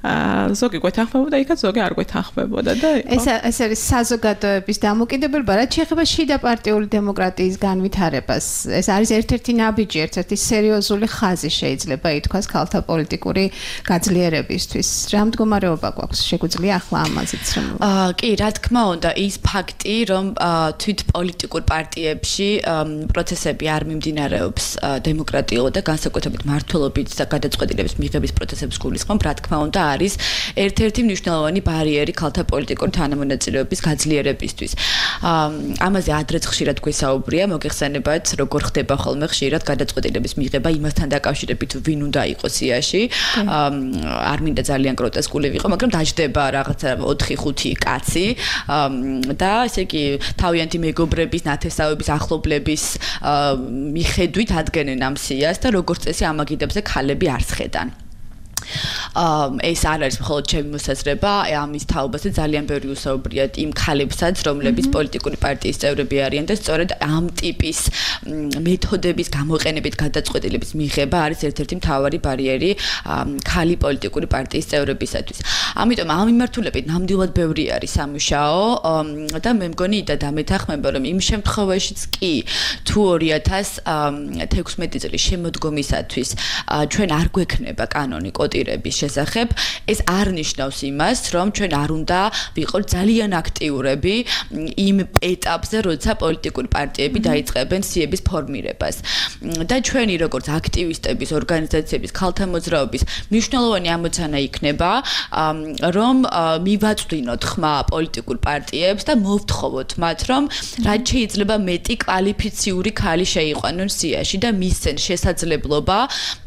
ზოგი გვეთანხმებოდა, იქაც ზოგი არ გვეთანხმებოდა და ეს არის საზოგადოების დამოკიდებულება, რაც შეეხება შიდა პარტიული დემოკრატიის განვითარებას. ეს არის ერთ-ერთი ნაბიჯი, ერთ-ერთი სერიოზული ხაზი შეიძლება ითქვას ქალთა პოლიტიკური გაძლიერებისთვის. რა მდგომარეობა გვაქვს? შეგვიძლია ახლა ამაზეც რომ კი, რა თქმა უნდა, ის ფაქტი, რომ თვით პოლიტიკურ პარტიებში პროცესები არ მიმდინარეობს დემოკრატიულად და განსაკუთრებით მმართველობით და გადაწყვეტილების მიღების პროცესებს გულისხმობ, რა თქმა უნდა, არის ერთ-ერთი მნიშვნელოვანი ბარიერი ქალთა პოლიტიკური თანამონაწილეობის გაძლიერებისთვის. ამაზე ადრეც ხშირად გვესაუბრია, მოგეხსენებათ, როგორ ხდება ხოლმე ხშირად გადაწყვეტილების მიღება იმასთან დაკავშირებით, ვინ უნდა იყოს სიაში. არ მინდა ძალიან გროტესკული ვიყო, მაგრამ დაждდება რაღაცა 4-5 კაცი და ესე იგი თავიანთი მეგობრების, ნათესავების, ახლობლების მიხედვით ადგენენ ამ სიას და როგორც წესი ამაგიდებზე ქალები არ სხედან. ეს არ არის მხოლოდ ჩემი მოსაზრება, ამის თაობაზე ძალიან ბევრი უსაუბრიათ იმ ქალებსაც, რომლებიც პოლიტიკური პარტიის წევრები არიან და სწორედ ამ ტიპის მეთოდების გამოყენებით გადაწყვეტილების მიღება არის ერთ-ერთი მთავარი ბარიერი ქალი პოლიტიკური პარტიის წევრებისათვის. ამიტომ ამ მიმართულებით ნამდვილად ბევრი არის სამუშაო და მე მგონი და დამეთანხმება, რომ იმ შემთხვევაშიც კი თუ 2016 წლის შემოდგომისათვის ჩვენ არ გვექნება კანონი კოტირების შესახებ, ეს არ ნიშნავს იმას, რომ ჩვენ არ უნდა ვიყოთ ძალიან აქტიურები იმ ეტაპზე, როცა პოლიტიკური პარტიები დაიწყებენ სიების ფორმირებას. და ჩვენი როგორც აქტივისტების, ორგანიზაციების, ქალთა მოძრაობის მნიშვნელოვანი ამოცანა იქნება, რომ მივაწვდინოთ ხმა პოლიტიკურ პარტიებს და მოვთხოვოთ მათ, რომ რაც შეიძლება მეტი კვალიფიციური ქალი შეიყვანონ სიაში და მისცენ შესაძლებლობა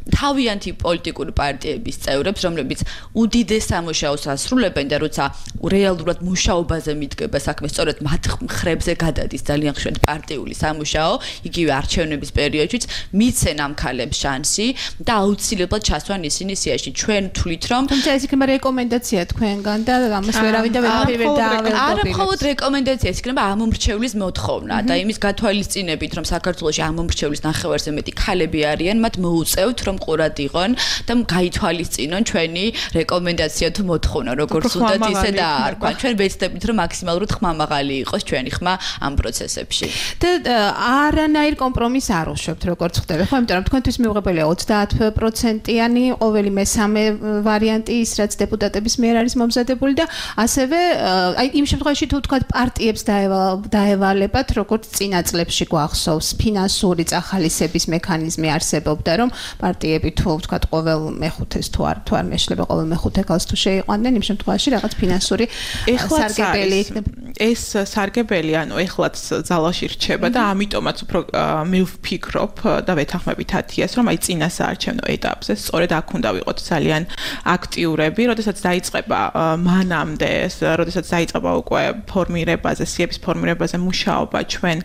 თავიანთი პოლიტიკური პარტიების წევრებს, რომლებიც უდიდეს სამუშაოს ასრულებენ და როცა რეალურად მუშაობაზე მიდგება საქმე, სწორედ მათ მხრებზე გადადის ძალიან ხშირად პარტიული სამუშაო, იგივე არჩევნების პერიოდშიც მიცენ ამ ქალებს შანსი და აუცილებლად ჩასვან ისინი სიაში. ჩვენ თვლით, რომ თუმცა ეს იქნება რეკომენდაცია თქვენგან და ამას ვერავინ და ვერაფერი ვერ დაავადდება. არა მხოლოდ რეკომენდაცია, ეს იქნება ამომრჩევლის მოთხოვნა და იმის გათვალისწინებით, რომ საქართველოში ამომრჩევლის ნახევარზე მეტი ქალები არიან, მათ მოუწევთ, რომ ყურად იყონ და გაითვალისწინონ ჩვენი რეკომენდაცია თუ მოთხოვნა, როგორც უნდათ ისე დაარქვა. ჩვენ ვეცდებით, რომ მაქსიმალურად ხმამაღალი იყოს ჩვენი ხმა ამ პროცესებში. და არანაირ კომპრომისს არ უშვებთ, როგორც ხდება, ხო? იმიტომ რომ თქვენთვის მიუღებელია 30%-იანი ყოველი მესამე ვარიანტი ის, რაც დეპუტატების მიერ არის მომზადებული და ასევე აი იმ შემთხვევაში თუ თქვა პარტიებს დაევალებათ, როგორც წინა წლებში გვახსოვს, ფინანსური წახალისების მექანიზმი არსებობდა, რომ პარტიები თუ ვთქვათ ყოველ მეხუთეს თუ არ მეშლება ყოველ მეხუთე ქალს თუ შეიყვანდნენ, იმ შემთხვევაში რაღაც ფინანსური სარგებელი იქნება. ეს სარგებელი, ანუ ეხლაც ძალაში რჩება და ამიტომაც უფრო მე ვფიქრობ და ვეთანხმებით 10-ას, რომ აი წინა საარჩევნო ეტაპზე სწორედ აქ უნდა ვიყოთ ძალიან აქტიურები, როდესაც დაიწყება მანამდე, როდესაც დაიწყება უკვე ფორმირებაზე, სიების ფორმირებაზე მუშაობა ჩვენ,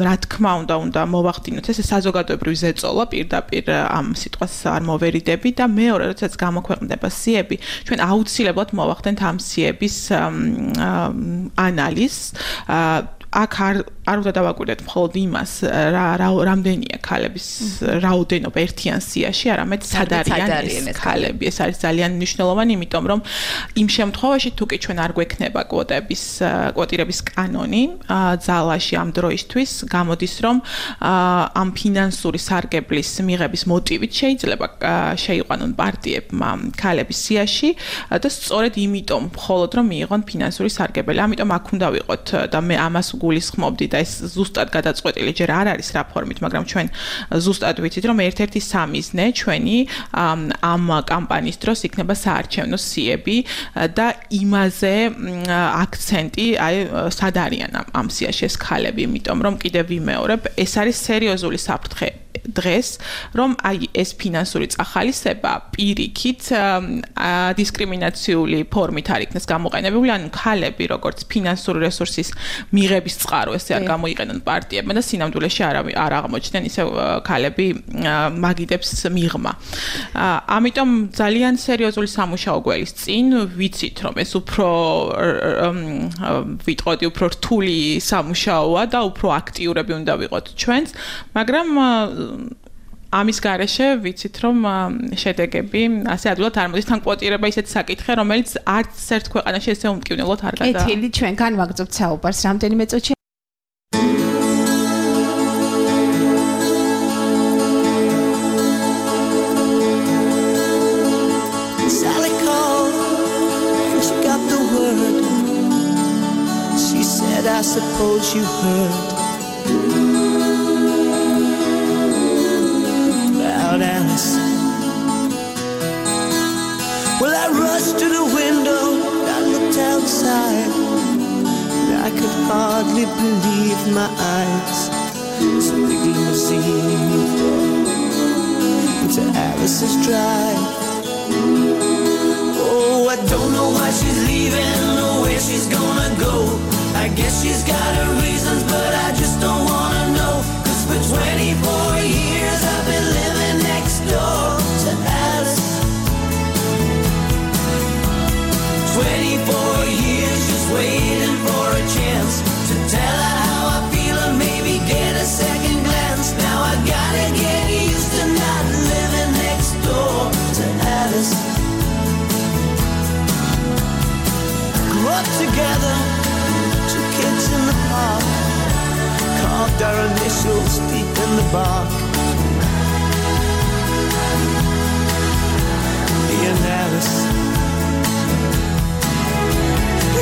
რა თქმა უნდა მოვახდინოთ ეს საზოგადოებრივი ზეწოლა პირდაპირ ამ სიტყვას არ მოვერიდები და მეორე, როდესაც გამოქვეყნდება სიები, ჩვენ აუცილებლად მოვახდენთ ამ სიების ანალიზს. აქ არ არ უნდა დავაკვირდეთ მხოლოდ იმას, რამდენია ქალების რაოდენობა ერთიან სიაში, არამედ სად არიან ეს ქალები. ეს არის ძალიან მნიშვნელოვანი, იმიტომ რომ იმ შემთხვევაში თუკი ჩვენ არ გვექნება კვოტირების კანონი ძალაში ამ დროისთვის, გამოდის რომ ამ ფინანსური სარგებლის მიღების მოტივით შეიძლება შეიყვანონ პარტიებმა ქალების სიაში და სწორედ იმიტომ მხოლოდ რომ მიიღონ ფინანსური სარგებელი. ამიტომ აქ უნდა ვიყოთ და მე ამას გულისხმობდი და ეს ზუსტად გადაწყვეტილი ჯერ არ არის რაფორმით, მაგრამ ჩვენ ზუსტად ვიცით, რომ ერთ-ერთი სამიზნე ჩვენი ამ კამპანიის დროს იქნება საარჩევნო სიები და იმაზე აქცენტი, აი სად არიან ამ სიაში ეს ქალები, იმიტომ რომ კიდევ ვიმეორებ, ეს არის სერიოზული საფრთხე დღეს, რომ აი ეს ფინანსური წახალისება პირიქით დისკრიმინაციული ფორმით არ იქნეს გამოყენებული, ანუ ქალები როგორც ფინანსური რესურსის მიღების წყარო ესე არ გამოიყენონ პარტიებმა და სინამდვილეში არ აღმოჩნდნენ ისე ქალები მაგიდებს მიღმა. ამიტომ ძალიან სერიოზული სამუშაო გველის წინ, ვიცით რომ ეს უფრო ვიტყოდი უფრო რთული სამუშაოა და უფრო აქტიურები უნდა ვიყოთ ჩვენც, მაგრამ ამის გარეშე ვიცით რომ შედეგები ასე ადვილად არ მოდის, თან კვოტირება ისეთი საკითხია, რომელიც არც ერთ ქვეყანაში ესე უმტკივნელად არ გადა. კეთილი, ჩვენგან ვაგრძობთ საუბარს რამდენიმე წუთში. Sally called and she got the word. She said, I suppose you heard about Alice. Well, I rushed to the window, I looked outside, and I could hardly believe my eyes. It's a big limousine into Alice's drive. Oh, I don't know why she's leaving or where she's gonna go. I guess she's got her reasons, but I just don't wanna know. 'Cause for 24 years I've been living next door to Alice. 24 years just waiting for a chance to tell her how I feel and maybe get a second glance. Now I gotta get used to not living next door to Alice. Grew up together, 2 kids in the park, carved our initials deep in the bark. Me and Alice.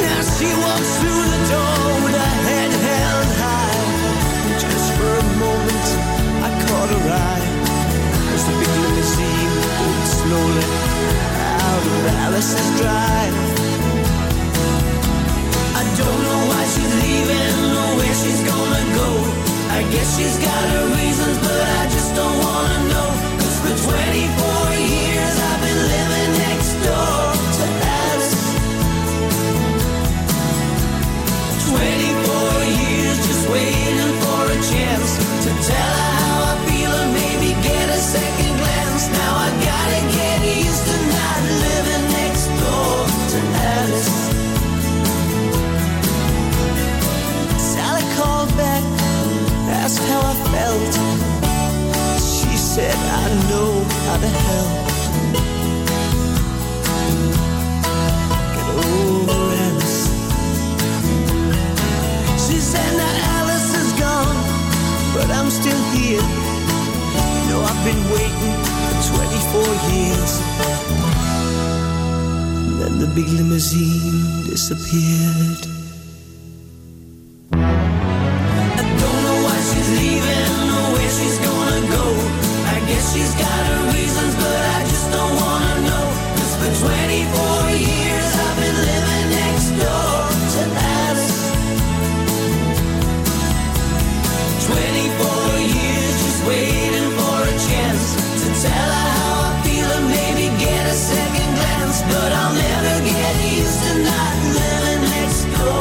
Now she walks through the door with her head held high, and just for a moment I caught her eye as the big limousine pulled slowly out of Alice's drive. I don't know why she's leaving or where she's gonna go. I guess she's got her reasons, but I just don't wanna know. 'Cause for 24 years I've been living next door to Alice. 24 years just waiting for a chance to tell her how I feel and maybe get a second glance. Now I gotta get used to not living next door to Alice. Sally called back, asked how I felt. She said, I know how to help. Get over Alice. She said, now Alice is gone, but I'm still here. You know I've been waiting for 24 years. And then the big limousine disappeared. She's got her reasons, but I just don't wanna know. 'Cause for 24 years I've been living next door to Alice. 24 years just waiting for a chance to tell her how I feel and maybe get a second glance. But I'll never get used to not living next door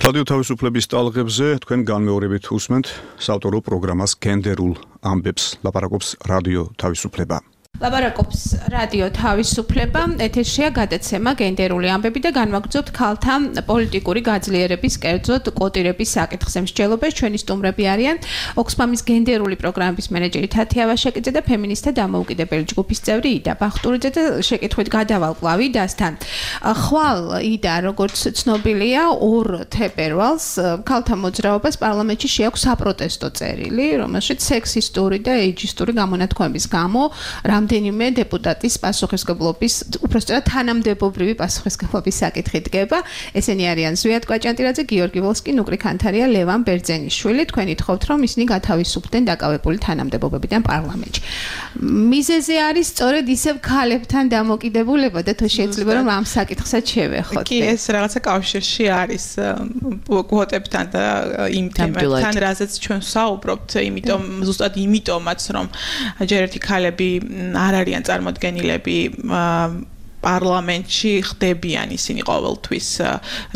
რადიო თავისუფლების ტალღებზე თქვენ განმეორებით უსმენთ საავტორო პროგრამას გენდერულ ამბებს ლაპარაკობს რადიო თავისუფლება. ლაპარაკობს რადიო თავისუფლება, ეთერშია გადაცემა გენდერული ამბები და განვაგრძობთ ქალთა პოლიტიკური გაძლიერების, კერძოდ კოტირების საკითხზე. მსჯელობენ ჩვენი სტუმრები არიან ოქსფამის გენდერული პროგრამების მენეჯერი თათია ვაშაკიძე და ფემინისტთა დამოუკიდებელი ჯგუფის წევრი იდა ბახტურიძე და შეკითხვით გადავალ კვლავ იდასთან. ხვალ იდა, როგორც ცნობილია, 2 თებერვალს ქალთა მოძრაობას პარლამენტში შეაქვს საპროტესტო წერილი, რომელშიც სექსისტური და ეიჯისტური გამონათქვამების გამო რამდენიმე დეპუტატის პასუხისმგებლობის, უпростоრად თანამდებობრივი პასუხისმგებლობის საკითხი დგება. ესენი არიან ზვიად კვაჭანტირაძე, გიორგი ვოლსკი, ნუკრი ქანთარია, ლევან ბერძენიშვილი. თქვენ ითხოვთ, რომ ისინი გათავისუფლდნენ დაკავებული თანამდებობებიდან პარლამენტში. მიზეზი არის სწორედ ისევ ქალებთან დამოკიდებულება და თუ შეიძლება რომ ამ საკითხსაც შევეხოთ. კი, ეს რაღაცა კავშირში არის კვოტებთან და იმ თემებთან, რაზეც ჩვენ ვსაუბრობთ, იმიტომ ზუსტად იმიტომაც რომ ჯერ ერთი ქალები არ არიან წარმოდგენილები პარლამენტში ხდებიან ისინი ყოველთვის,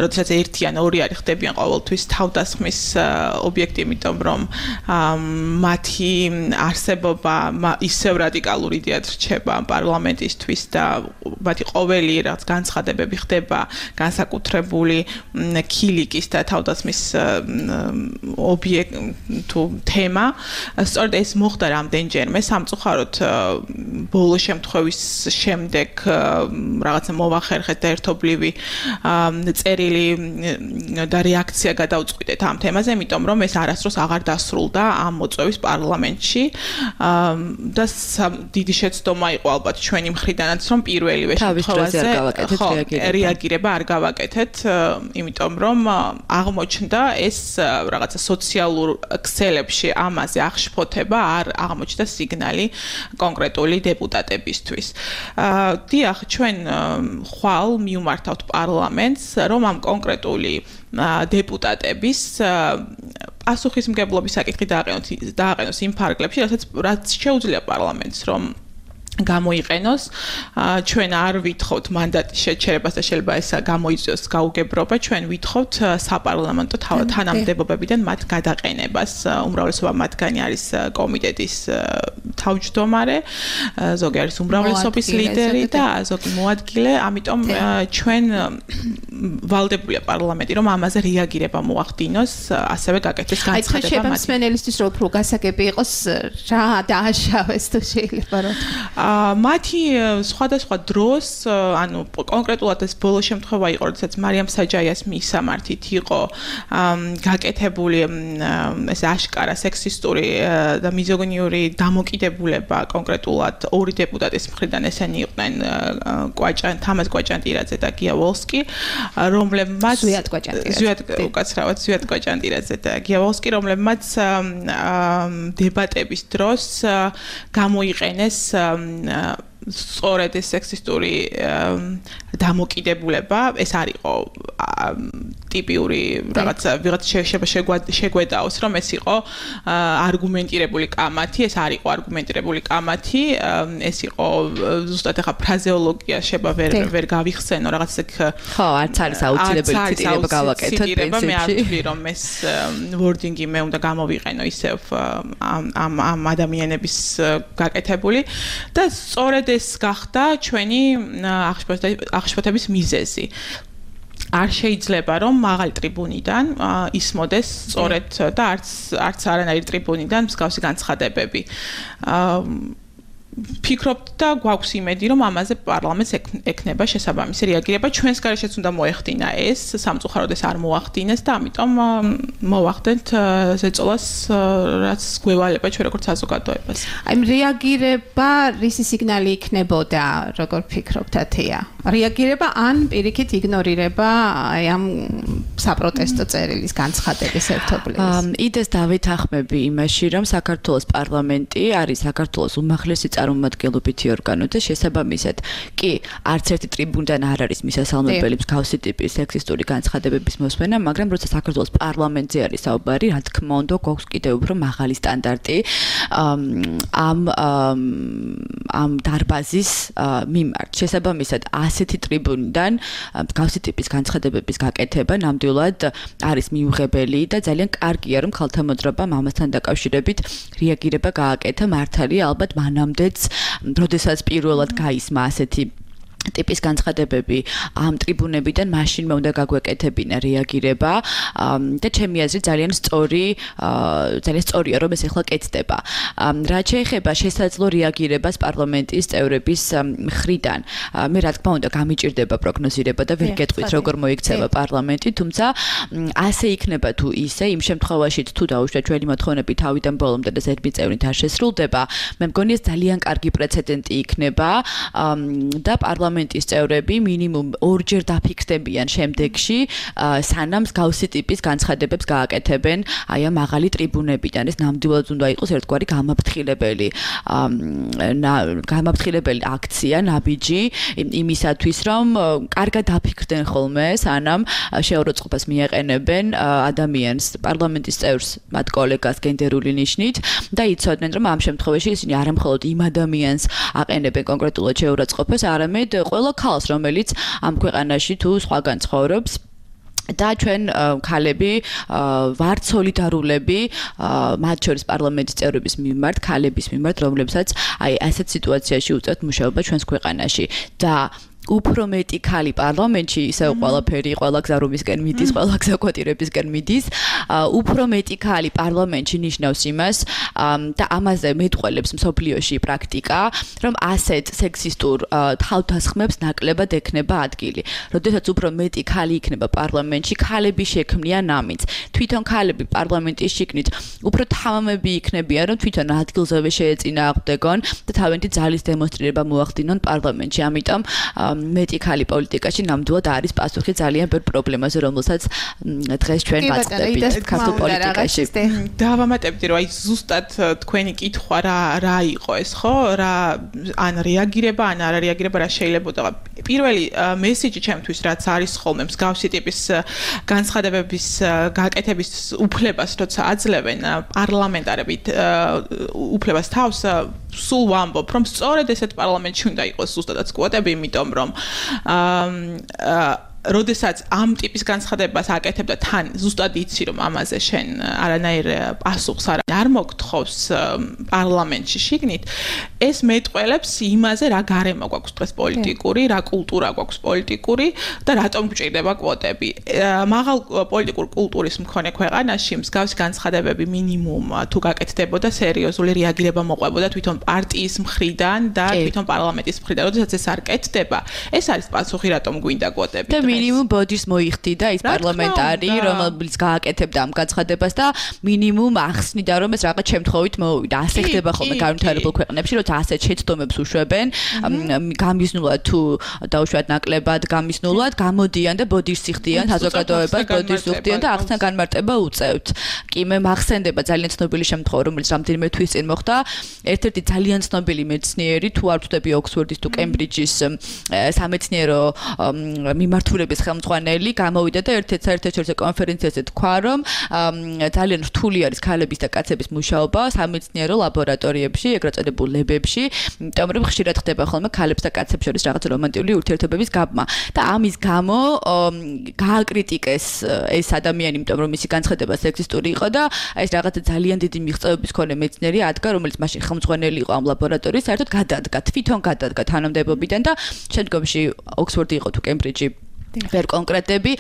როდესაც ერთი ან ორი არის ხდებიან ყოველთვის თავდასხმის ობიექტი, იმიტომ რომ მათი არსებობა ისევ რადიკალურ იდეად რჩება პარლამენტისთვის და მათი ყოველი რაღაც განცხადებები ხდება განსაკუთრებული ქილიკის და თავდასხმის ობიექტი თემა. სწორედ ეს მოხდა რამდენჯერმე სამწუხაროდ ბოლო შემთხვევის შემდეგ რაღაცა მოვახერხეთ და ერთობლივი წერილი და რეაქცია გადავწყვიტეთ ამ თემაზე, იმიტომ რომ ეს არასდროს აღარ დასრულდა ამ მოწვევის პარლამენტში და დიდი შეცდომა იყო ალბათ ჩვენი მხრიდანაც, რომ პირველივე შემთხვევაზე რეაგირება არ გავაკეთეთ, იმიტომ რომ აღმოჩნდა ეს რაღაცა სოციალურ ქსელებში ამაზე აღშფოთება არ აღმოჩნდა სიგნალი კონკრეტული დეპუტატებისთვის. დიახ, ჩვენ ხვალ მივმართავთ პარლამენტს, რომ ამ კონკრეტული დეპუტატების პასუხისმგებლობის საკითხი დააყენოს იმ ფარგლებში, რაც შეუძლია პარლამენტს, რომ გამოიყენოს. ჩვენ არ ვითხოვთ მანდატის შეჩერებას და შეიძლება ეს გამოიწვიოს გაუგებრობა, ჩვენ ვითხოვთ საპარლამენტო თანამდებობებიდან მათ გადაყენებას. უმრავლესობა მათგანი არის კომიტეტის თავმჯდომარე, ზოგი არის უმრავლესობის ლიდერი და ზოგი მოადგილე, ამიტომ ჩვენ ვალდებულია პარლამენტი, რომ ამაზე რეაგირება მოახდინოს, ასევე გაკეთდეს განცხადება მათ. მსმენელისთვის რო უფრო გასაგები იყოს, რა დააშავეს თუ შეიძლება რომ მათი სხვადასხვა დროს, ანუ კონკრეტულად ეს ბოლო შემთხვევა იყო, როდესაც მარიამ საჯაიას მისამართით იყო გაკეთებული ეს აშკარა სექსისტური და მიზოგინიური დამოკიდებულება კონკრეტულად 2 დეპუტატის მხრიდან, ესენი იყვნენ თამაზ კვაჭანტირაძე და გია ვოლსკი, რომლებმაც ზვიად კვაჭანტირაძე და გია ვოლსკი, რომლებმაც დებატების დროს გამოიყენეს სწორედ ეს სექსისტური დამოკიდებულება, ეს არ იყო ტიპიური რაღაცა შეგვედაოს, რომ ეს იყო არგუმენტირებული კამათი, ეს არ იყო არგუმენტირებული კამათი, ეს იყო ზუსტად ახლა ფრაზეოლოგია შეიძლება ვერ გავიხსენო, რაღაც ეგ ხო, არც არის აუცილებელი ციტირება გავაკეთოთ პრინციპში. მე არ ვთვლი, რომ ეს ვორდინგი მე უნდა გამოვიყენო ისევ ამ ადამიანების გაკეთებული და სწორედ ეს გახდა ჩვენი აღშფოთების მიზეზი. არ შეიძლება რომ მაღალი ტრიბუნიდან ისმოდეს სწორედ და არც არანაირი ტრიბუნიდან მსგავსი განცხადებები. ფიქრობთ და გვაქვს იმედი, რომ ამაზე პარლამენტს ექნება შესაბამისი რეაგირება. ჩვენს გარეშეც უნდა მოეხდინა ეს, სამწუხაროდ ეს არ მოახდინეს და ამიტომ მოვახდენთ ზეწოლას, რაც გვევალება ჩვენ როგორც საზოგადოებას. აი რეაგირება რისი სიგნალი იქნებოდა, როგორ ფიქრობთ ათია? რეაგირება ან პირიქით იგნორირება აი ამ საპროტესტო წერილის განცხადების ერთობლივს? იდეს დავითახმები იმაში, რომ საქართველოს პარლამენტი არის საქართველოს უმაღლესი წარმომადგენლობითი ორგანო და შესაბამისად კი არც ერთი ტრიბუნიდან არ არის მისასალმებელი მსგავსი ტიპის სექსისტური განცხადებების მოსმენა, მაგრამ როცა საქართველოს პარლამენტზე არის საუბარი, რა თქმა უნდა, გვაქვს კიდევ უფრო მაღალი სტანდარტი ამ დარბაზის მიმართ. შესაბამისად, ასეთი ტრიბუნიდან მსგავსი ტიპის განცხადებების გაკეთება ნამდვილად არის მიუღებელი და ძალიან კარგია, რომ ქალთა მოძრაობამ ამასთან დაკავშირებით რეაგირება გააკეთა. მართალია, ალბათ მანამდეც, როდესაც პირველად გაისმა ასეთი ტიპის განცხადებები ამ ტრიბუნებიდან მაშინვე უნდა გაგვეკეთებინა რეაგირება და ჩემი აზრით ძალიან სწორია რომ ეს ახლა კეთდება. რაც შეეხება შესაძლო რეაგირებას პარლამენტის წევრების მხრიდან, მე რა თქმა უნდა გამიჭირდება პროგნოზირება და ვერ გეტყვით როგორ მოიქცევა პარლამენტი, თუმცა ასე იქნება თუ ისე, იმ შემთხვევაში თუ დაუშვათ ჩვენი მოთხოვნები თავიდან ბოლომდე და ზედმეტ წევრით არ შესრულდება, მე მგონი ეს ძალიან კარგი პრეცედენტი იქნება და პარლამენტის წევრები მინიმუმ ორჯერ დაფიქსდებიან შემდეგში, სანამ მსგავსი ტიპის განცხადებებს გააკეთებენ აი ამ მაღალი ტრიბუნებიდან. ეს ნამდვილად უნდა იყოს ერთგვარი გამაფრთხილებელი აქცია, ნაბიჯი იმისათვის, რომ კარგად დაფიქრდნენ ხოლმე, სანამ შეურაცხყოფას მიაყენებენ ადამიანს, პარლამენტის წევრს, მათ კოლეგას გენდერული ნიშნით და იცოდნენ, რომ ამ შემთხვევაში ისინი არა მხოლოდ იმ ადამიანს აყენებენ კონკრეტულად შეურაცხყოფას, არამედ ყველა ქალს, რომელიც ამ ქვეყანაში თუ სხვაგან ცხოვრობს და ჩვენ ქალები ვართ სოლიდარულები მათ შორის პარლამენტის წევრების მიმართ, ქალების მიმართ, რომლებსაც აი ასეთ სიტუაციაში უწევთ მუშაობა ჩვენს ქვეყანაში და უფრო მეტი ქალი პარლამენტში, ისევ ყველაფერი, ყველა გზა რომისკენ მიდის, ყველა გზა კვოტირებისკენ მიდის, უფრო მეტი ქალი პარლამენტში ნიშნავს იმას და ამაზე მეტყველებს მსოფლიოში პრაქტიკა, რომ ასეთ სექსისტურ თავდასხმებს ნაკლებად ექნება ადგილი. როდესაც უფრო მეტი ქალი იქნება პარლამენტში, ქალები შექმნიან ამინდს. თვითონ ქალები პარლამენტის შიგნით უფრო თამამები იქნებიან, რომ თვითონ ადგილზევე შეეწინააღმდეგონ და თავენთი ძალის დემონსტრირება მოახდინონ პარლამენტში. ამიტომ მეტი ქალი პოლიტიკაში ნამდვილად არის პასუხი ძალიან ბევრ პრობლემაზე, რომელსაც დღეს ჩვენ ვაწყდებით ქართულ პოლიტიკაში. დავამატებდი, რომ აი ზუსტად თქვენი კითხვა რა იყო ეს, ხო? რა ან რეაგირება, ან არა რეაგირება რა შეიძლებოდა. პირველი მესიჯი ჩემთვის რაც არის ხოლმე მსგავსი ტიპის განცხადებების გაკეთების უფლებას, როცა აძლევენ პარლამენტარები უფლებას თავს, სულ ვამბობ, რომ სწორედ ესეთ პარლამენტში უნდა იყოს ზუსტადაც კვოტები, იმიტომ რომ როდესაც ამ ტიპის განცხადებას აკეთებ და თან ზუსტად იცი რომ ამაზე შენ არანაირ პასუხს არ მოგთხოვს პარლამენტში შიგნით, ეს მეტყველებს იმაზე რა გარემო გვაქვს დღეს პოლიტიკური, რა კულტურა გვაქვს პოლიტიკური და რატომ გვჭირდება კვოტები. მაღალ პოლიტიკურ კულტურის მქონე ქვეყანაში მსგავსი განცხადებები მინიმუმ თუ გაკეთდებოდა, სერიოზული რეაგირება მოყვებოდა თვითონ პარტიის მხრიდან და თვითონ პარლამენტის მხრიდან. როდესაც ეს არ კეთდება, ეს არის პასუხი რატომ გვინდა კვოტები. მინიმუმ ბოდიშს მოიხდიდა ის პარლამენტარი, რომელიც გააკეთებდა ამ განცხადებას და მინიმუმ ახსნიდა, რომ ეს რაღაც შემთხვევით მოვიდა. ასე ხდება ხოლმე განვითარებულ ქვეყნებში, როცა ასეთ შეცდომებს უშვებენ, გამიზნულად თუ დაუშვათ ნაკლებად გამიზნულად, გამოდიან და ბოდიშს იხდიან საზოგადოებას, ბოდიშს უხდიან და ახსნა განმარტება უწევთ. კი მე მახსენდება ძალიან ცნობილი შემთხვევა, რომელიც რამდენიმე თვის წინ მოხდა. ერთ-ერთი ძალიან ცნობილი მეცნიერი, თუ არ ვთქვი ოქსფორდის თუ კემბრიჯის სამეცნიერო მიმართულების ხელმძღვანელი გამოვიდა და ერთ-ერთ კონფერენციაზე თქვა, რომ ძალიან რთული არის ქალების და კაცების მუშაობა სამეცნიერო ლაბორატორიებში, ეგრეთ წოდებულ ლებებში, იმიტომ რომ ხშირად ხდება ხოლმე ქალებს და კაცებს შორის რაღაც რომანტიკული ურთიერთობების გაბმა. და ამის გამო გააკრიტიკეს ეს ადამიანი, იმიტომ რომ მისი განცხადება სექსისტური იყო და ეს რაღაც ძალიან დიდი მიღწევების მქონე მეცნიერი ადგა, რომელიც მაშინ ხელმძღვანელი იყო ამ ლაბორატორიის, საერთოდ თვითონ გადადგა თანამდებობიდან და შემდგომში ოქსფორდი იყო თუ კემბრიჯი ვერ კონკრეტები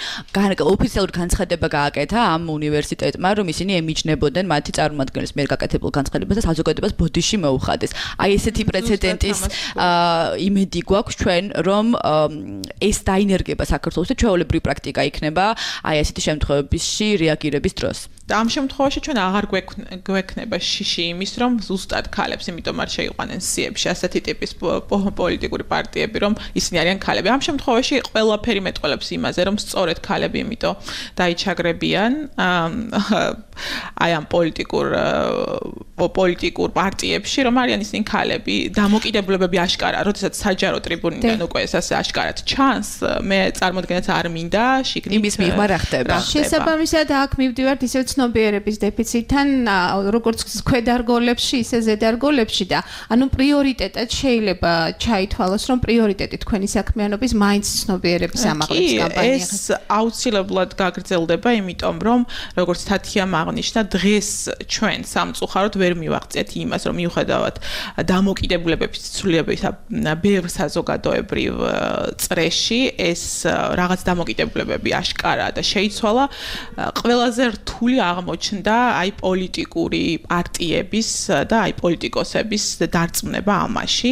ოფიციალური განცხადება გააკეთა ამ უნივერსიტეტმა, რომ ისინი ემიჯნებოდნენ მათი წარმომადგენლის მიერ გაკეთებულ განცხადებას და საზოგადოებას ბოდიში მოუხადეს. აი ესეთი პრეცედენტის იმედი გვაქვს ჩვენ, რომ ეს დაინერგება საქართველოს და ჩვეულებრივი პრაქტიკა იქნება აი ესეთი შემთხვევებში რეაგირების დროს. და ამ შემთხვევაში ჩვენ აღარ გვექნება შიში იმის, რომ ზუსტად ქალებს, იმიტომ არ შეიყვანენ სიებში ასეთი ტიპის პოლიტიკური პარტიები, რომ ისინი არიან ქალები. ამ შემთხვევაში ყველაფერი მეტყველებს იმაზე, რომ სწორედ ქალები იმიტომ დაიჩაგრებიან აი ამ პოლიტიკურ პოლიტიკურ პარტიებში, რომ არიან ისინი ქალები, დამოკიდებულებები აშკარა, როდესაც საჯარო ტრიბუნიდან უკვე ეს ასე აშკარად ჩანს, მე წარმოდგენაც არ მინდა შიგნით იმის მიღმა რა ხდება. შესაბამისად აქ მივდივართ ისევ ცნობიერების დეფიციტთან, როგორც ქვედარგოლებში, ისე ზედარგოლებში და ანუ პრიორიტეტად შეიძლება ჩაითვალოს, რომ პრიორიტეტი თქვენი საქმიანობის მაინც ცნობიერების ამაღლების კამპანია. ეს აუცილებლად გაგრძელდება, იმიტომ რომ როგორც თათიამ აღნიშნა, დღეს ჩვენ სამწუხაროდ ვერ მივაღწიეთ იმას, რომ მიუხედავად დამოკიდებულებების ცვლილებისა ბევრ საზოგადოებრივ წრეში ეს რაღაც დამოკიდებულებები აშკარაა და შეიცვალა, ყველაზე რთული აღმოჩნდა აი პოლიტიკური პარტიების და აი პოლიტიკოსების დარწმუნება ამაში.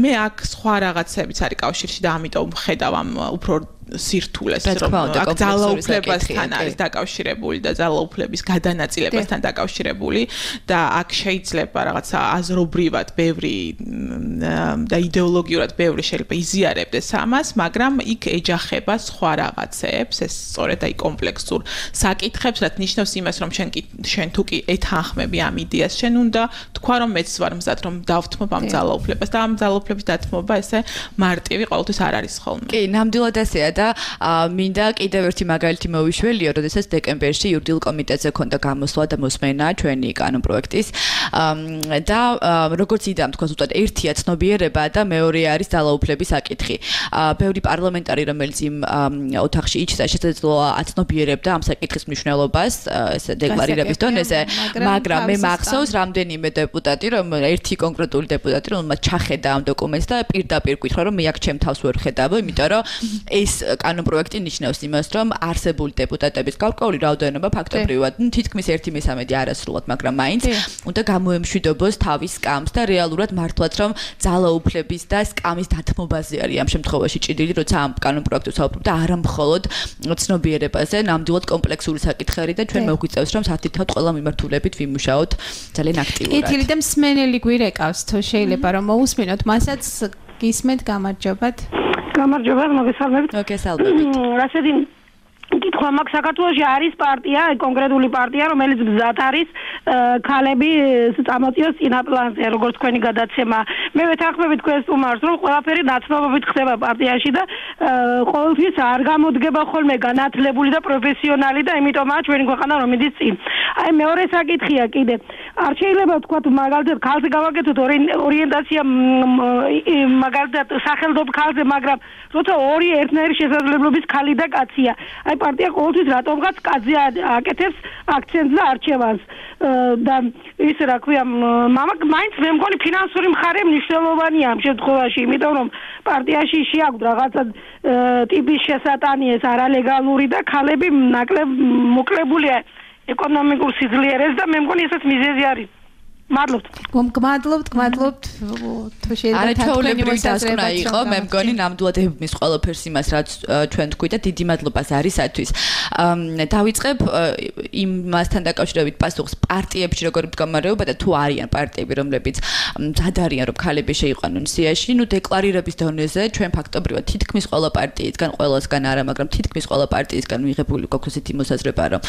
მე აქ სხვა რაღაცებიც არის კავშირში და ამიტომ ხედავ ამ უფრო სირთულეს, რომ აქ ძალაუფლებასთან არის დაკავშირებული და ძალაუფლების გადანაწილებასთან დაკავშირებული და აქ შეიძლება რაღაცა აზრობრივად ბევრი და იდეოლოგიურად ბევრი შეიძლება იზიარებდეს ამას, მაგრამ იქ ეჯახება სხვა რაღაცებს, ეს სწორედ აი კომპლექსურ საკითხებს, რაც ნიშნავს იმას, რომ შენ თუ კი ეთანხმები ამ იდეას, შენ უნდა თქვა, რომ მეც ვარ მზად, რომ დავთმობ ამ ძალაუფლებას და ამ ძალაუფლების დათმობა ესე მარტივი ყოველთვის არ არის ხოლმე. კი, ნამდვილად ასეა და მინდა კიდევ ერთი მაგალითი მოვიშველიო, როდესაც დეკემბერში იურიდიულ კომიტეტზე ქონდა გამოსვლა და მოსმენა ჩვენი კანონპროექტის და როგორც იდეა თქვა ზუსტად ერთია ცნობიერება და მეორე არის ძალაუფლების საკითხი. ბევრი პარლამენტარი, რომელიც იმ ოთახში იჩნდა, შესაძლოა აცნობიერებდა ამ საკითხის მნიშვნელობას, ესე დეკლარირების დონეზე, მაგრამ მე მახსოვს რამდენიმე დეპუტატი, რომ ერთი კონკრეტული დეპუტატი, რომელმაც ჩახედა ამ დოკუმენტს და პირდაპირ გითხრა, რომ მე აქ ჩემ თავს ვერ ხედავ, იმიტომ რომ ეს კანონპროექტი ნიშნავს იმას, რომ არსებული დეპუტატების გარკვეული რაოდენობა ფაქტობრივად თითქმის 1/3 არასრულად, მაგრამ მაინც უნდა გამოემშვიდობოს თავის სკამს და რეალურად მართლაც რომ ძალაუფლების და სკამის დათმობაზე არის ამ შემთხვევაში ჭიდილი, როცა ამ კანონპროექტს ვსაუბრობ და არა მხოლოდ ცნობიერებაზე, ნამდვილად კომპლექსური საკითხი და ჩვენ მოგვიწევს, რომ სათითაოდ ყველა მიმართულებით ვიმუშაოთ ძალიან აქტიურად. კეთილი და მსმენელი გვირეკავს, თუ შეიძლება რომ მოусმინოთ, მასაც გისმენთ, გამარჯობათ. გამარჯობა, მოგესალმებით. მოგესალმებით. რასეთი კითხვა მაქვს, საქართველოში არის პარტია, კონკრეტული პარტია, რომელიც მზად არის ქალები წამოწიოს წინაპლანზე, როგორც თქვენი გადაცემა. მე ვეთანხმები თქვენს სტუმარს, რომ ყველაფერი ნაცნობობით ხდება პარტიაში და ყოველთვის არ გამოდგება ხოლმე განათლებული და პროფესიონალი და იმიტომაა ჩვენი ქვეყანა რომ მიდის წინ. აი მეორე საკითხია კიდე. არ შეიძლება თქვა მაგალითად ქალზე გავაკეთოთ ორიენტაცია მაგალითად სახელდობ ქალზე, მაგრამ როცა ორი ერთნაირი შესაძლებლობის ქალი და კაცია. აი პარტია ყოველთვის რატომღაც კაცზე აკეთებს აქცენტს და არჩევანს და ის რა ქვია მაინც მე მგონი ფინანსური მხარე მნიშვნელოვანია ამ შემთხვევაში, იმიტომ რომ პარტიაში შეაქვს რაღაცა ტიპის შესატანიეს არალეგალური და ქალები ნაკლებ მოკლებულია ეკონომიკურ სიძლიერეს და მე მგონი ესეც მიზეზი არის. მადლობთ. გმადლობთ, თუ შეიძლება ჩვეულებრივი დასკვნა იყო, მე მგონი ნამდვილად ებმის ყველაფერს იმას, რაც ჩვენ თქვი და დიდი მადლობა არისათვის. დავიწყებ იმასთან დაკავშირებით პასუხს პარტიებში როგორ მდგომარეობა და თუ არიან პარტიები, რომლებიც მზად არიან, რომ ქალები შეიყვანონ სიაში, ნუ დეკლარირების დონეზე ჩვენ ფაქტობრივად თითქმის ყველა პარტიისგან, ყველასგან არა, მაგრამ თითქმის ყველა პარტიისგან მიღებული გვაქვს ესეთი მოსაზრება, რომ